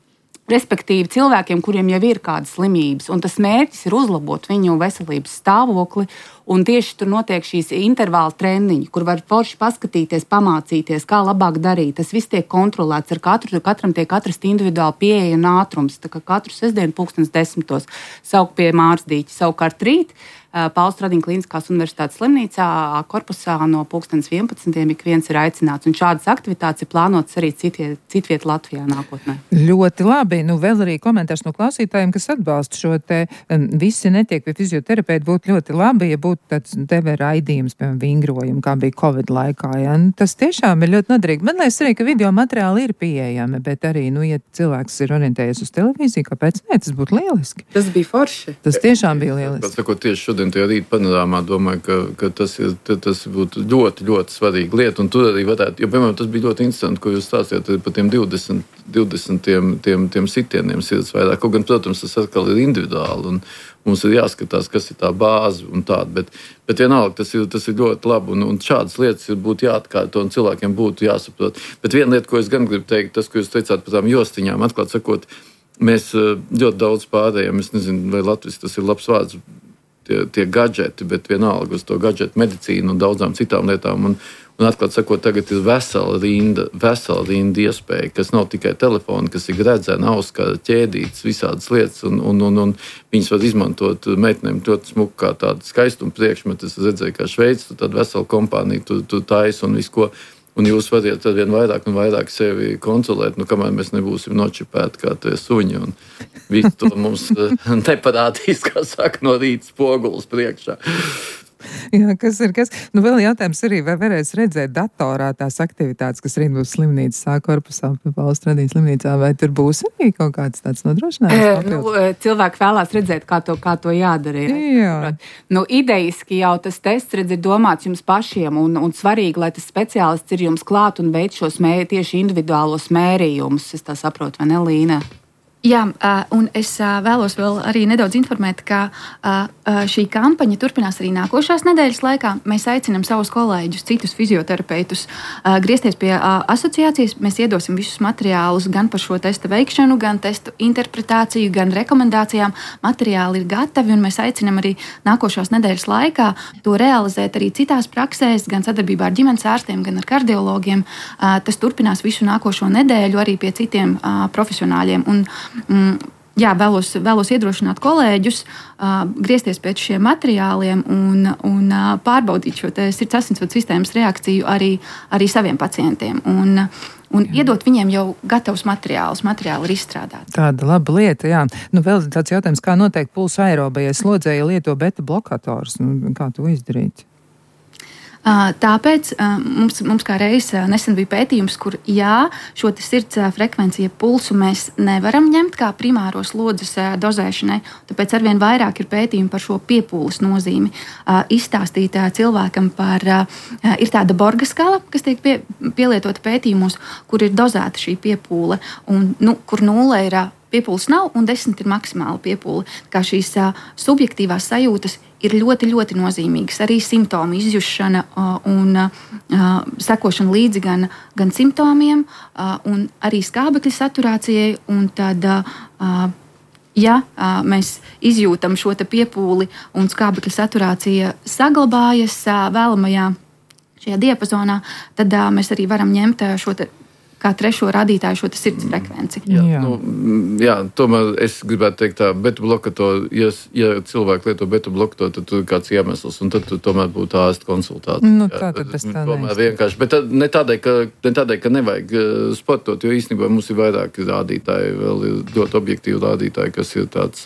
Respektīvi cilvēkiem, kuriem jau ir kādas slimības, un tas mērķis ir uzlabot viņu veselības stāvokli, un tieši tur notiek šīs intervāla treniņi, kur var forši paskatīties, pamācīties, kā labāk darīt. Tas viss tiek kontrolēts, ar katru, katram tiek atrast individuāli pieeja un ātrums, tā kā katru sestdienu pulkstens desmitos saukt pie Māras dīķa. Savukārt rīt Paustradiņu Kliniskās universitātes slimnīcā korpusā no pulkstens vienpadsmitiem ik viens ir aicināts, un šādas aktivitātes ir plānotas arī citie, citviet Latvijā nākotnē. Ļoti labi. Nu, vēl arī komentārs no klausītājiem, kas atbalsta šo te visi netiek pie fizioterapeita, būtu ļoti labi, ja būtu tāds T V raidījums, piemēram, vingrojumu, kā bija Covid laikā. Ja? Tas tiešām ir ļoti noderīgi. Man liekas arī, ka video materiāli ir pieejami, bet arī, nu, ja cilvēks ir orientējies uz televīziju, kāpēc ne, tas būtu lieliski. Tas bija forši. Tas tiešām bija lieliski. Pats, sakot, tieši šodien tajā rīt panorāmā domāju, ka, ka tas, ir, tas būtu ļoti, ļoti svarīga lieta, un tur arī varētu, jo, piemēram, tas bija ļoti interesanti, ko jūs stāstījāt par tiem divdesmit, divdesmit tiem, tiem, tiem sitieniem sirds vairāk. Kaut gan, protams, tas atkal ir individuāli, un mums ir jāskatās, kas ir tā bāze un tāda, bet, bet vienalga, tas ir, tas ir ļoti labi, un, un šādas lietas būtu jāatkārto, un cilvēkiem būtu jāsaprot. Bet viena lieta, ko es gan gribu teikt, tas, ko jūs teicāt par tām jostiņām, atklāt sakot, mēs ļoti daudz pārējām, es nezinu, vai Latvijas tas ir labs vārds, tie, tie gadžeti, bet vienalga uz to gadžetu medicīnu un daudzām citām lietām. Un, un atklāt sakot, tagad ir vesela rinda, vesela rinda iespēja, kas nav tikai telefoni, kas ir gredzena, auskara, ķēdītas, visādas lietas, un, un, un, un viņas var izmantot meitenēm ļoti smuku kā tādu skaistumu priekšmetu. Es redzēju, kā Šveicis, tu tādu veselu kompāniju, tu, tu taisi un visu ko. Un jūs varat ar vien vairāk un vairāk sevi kontrolēt, nu, kamēr mēs nebūsim nočipēti kā tie suņi. Un visu to mums neparādīs, kā saka, no rīta spogulis priekšā. Jā, kas ir kas? Nu, vēl jautājums arī, vai varēs redzēt datorā tās aktivitātes, kas rīt būs slimnīcas A korpusā, Paustradiņu slimnīcā, vai tur būs arī kaut kāds tāds nodrošinājums? Nu, cilvēki vēlās redzēt, kā to, kā to jādara. Jā. Nu, idejiski jau tas tests, redz, ir domāts jums pašiem, un, un svarīgi, lai tas speciālists ir jums klāt un veic šos mē, tieši individuālos mērījumus. Es tā saprotu, vai ne, Līna? Jā, un es vēlos vēl arī nedaudz informēt, ka šī kampaņa turpinās arī nākošās nedēļas laikā. Mēs aicinām savus kolēģus, citus fizioterapeitus, griezties pie asociācijas. Mēs iedosim visus materiālus gan par šo testa veikšanu, gan testu interpretāciju, gan rekomendācijām. Materiāli ir gatavi, un mēs aicinām arī nākošās nedēļas laikā to realizēt arī citās praksēs, gan sadarbībā ar ģimenes ārstiem, gan ar kardiologiem. Tas turpinās visu nākošo nedēļu arī pie citiem profesionāļiem. Un, Mm, jā, vēlos, vēlos iedrošināt kolēģus uh, griezties pēc šiem materiāliem un, un uh, pārbaudīt šo sirds asinsvadu sistēmas reakciju arī, arī saviem pacientiem. Un, Un jā. Iedot viņiem jau gatavus materiālus, materiāli ir izstrādāti. Tāda laba lieta, jā. Nu, vēl tāds jautājums, kā noteikti pulsa aerobajai slodzēji lieto beta blokators? Nu, kā to izdarīt? Tāpēc mums, mums kā reiz nesen bija pētījums, kur jā, šo sirds frekvenciju pulsu mēs nevaram ņemt kā primāro slodzes dozēšanai, tāpēc arvien vairāk ir pētījumi par šo piepūles nozīmi. Izstāstīt cilvēkam par, ir tāda Borga skala, kas tiek pie, pielietota pētījumos, kur ir dozēta šī piepūle, un, nu, kur nulle ir piepūles nav un desmit ir maksimāla piepūle. Kā šīs subjektīvās sajūtas ir ļoti, ļoti nozīmīgas. Arī simptomu izjušana uh, un uh, sekošana līdzi gan, gan simptomiem, uh, un arī skābekļa saturācijai. Un tad, uh, ja uh, mēs izjūtam šo te piepūli un skābekļa saturācija saglabājas uh, vēlamajā šajā diapazonā, tad uh, mēs arī varam ņemt uh, šo te kā trešo rādītāju šo sirds frekvenci. Jā, jā. Nu, jā, tomēr es gribētu teikt tā, beta blokatoru, ja, ja cilvēki lieto beta blokatoru, tad tur ir kāds iemesls, un tad tomēr būtu ārsta konsultācija. Nu, tā tad tas tā tomēr vienkārši, bet ne tādēļ, ka, ne tādēļ, ka nevajag sportot, jo īstenībā mums ir vairāki rādītāji, vēl ir ļoti objektīvi rādītāji, kas ir tāds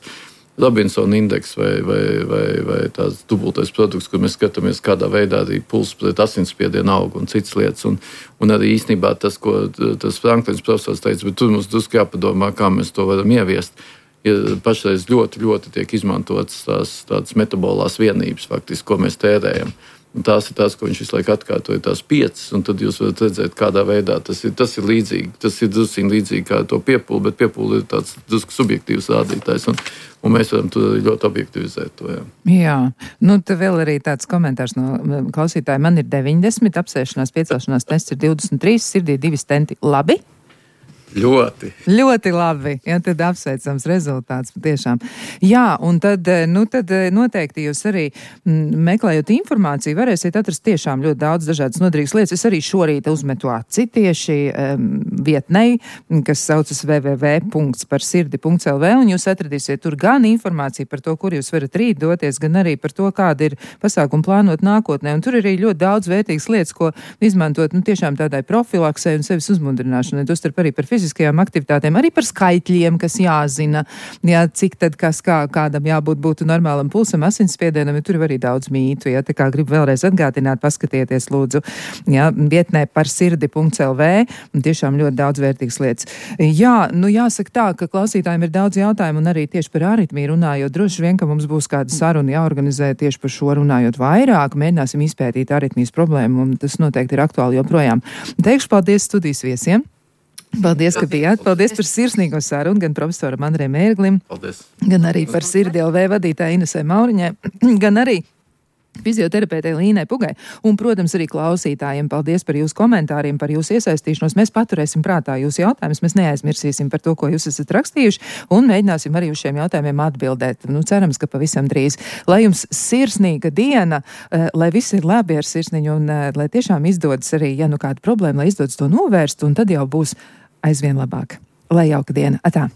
Robinsona indeks vai, vai, vai, vai tāds dubultais produkts, kur mēs skatāmies, kādā veidā arī pulss pret asinsspiedienu aug un citas lietas. Un, un arī īstenībā tas, ko tas Franklins profesors teica, bet tur mums drusku jāpadomā, kā mēs to varam ieviest. Ir pašreiz ļoti, ļoti tiek izmantotas tās tādas metabolās vienības, faktiski, ko mēs tērējam. Un tās ir tās, ko viņš visu laiku atkārtoja, tās piecas, un tad jūs varat redzēt, kādā veidā tas ir, tas ir līdzīgi. Tas ir drusku līdzīgi kā to piepūli, bet piepūli ir tāds drusku subjektīvs rādītājs, un, un mēs varam to ļoti objektivizēt. To, jā. jā, nu te vēl arī tāds komentārs no klausītāja. Man ir deviņdesmit, apsēšanās, piecelšanās tests ir divdesmit trīs, sirdī divi stenti. Labi? Ļoti. Ļoti labi. Jā, tad apsveicams rezultāts patiešām. Jā, un tad, nu, tad noteikti jūs arī m, meklējot informāciju, varēsiet atrast tiešām ļoti daudz dažādas noderīgas lietas. Es arī šorīt uzmetu aci tieši um, vietnei, kas saucas w w w punkts par sirdi punkts l v, un jūs atradīsiet tur gan informāciju par to, kur jūs varat rīt doties, gan arī par to, kāda ir pasākuma plānot nākotnē. Un tur ir arī ļoti daudz vērtīgas lietas, ko izmantot, nu, tiešām tādai profilaksei un sevis uzmundrināšanai. Tostarp arī par fiziskajām aktivitātēm, arī par skaitļiem, kas jāzina, jā, cik tad kas kā, kādam jābūt būtu normālam pulsam, asinsspiedienam, ja tur ir arī daudz mītu, jā, tā kā gribu vēlreiz atgādināt, paskatieties lūdzu, jā, vietnē par sirdi punkts l v, un tiešām ļoti daudz vērtīgas lietas. Jā, nu jāsaka tā, ka klausītājiem ir daudz jautājumu, un arī tieši par aritmiju runājot, droši vien, ka mums būs kāda saruna jāorganizē tieši par šo runājot vairāk, mēģināsim izpētīt aritmijas problēmu, un tas noteikti ir aktuāli joprojām. Teikšu paldies studijas viesiem. Paldies, ka bijāt. Paldies par sirsnīgo sarunu gan profesoram Andrejam Ērglim, Paldies. Gan arī par Sirdi L V vadītāju Inesai Mauriņai, gan arī fizioterapeitei Līnai Pugai. Un, protams, arī klausītājiem paldies par jūsu komentāriem, par jūsu iesaistīšanos. Mēs paturēsim prātā jūsu jautājumus, mēs neaizmirsīsim par to, ko jūs esat rakstījuši, un mēģināsim arī uz šiem jautājumiem atbildēt. Nu, cerams, ka pavisam drīz. Lai jums sirsnīga diena, lai viss ir labi ar sirsniņu, un lai tiešām izdodas arī, ja nu kāda problēma, lai izdodas to novērst, un tad jau būs aizvien labāk. Lai jauka diena. Atā!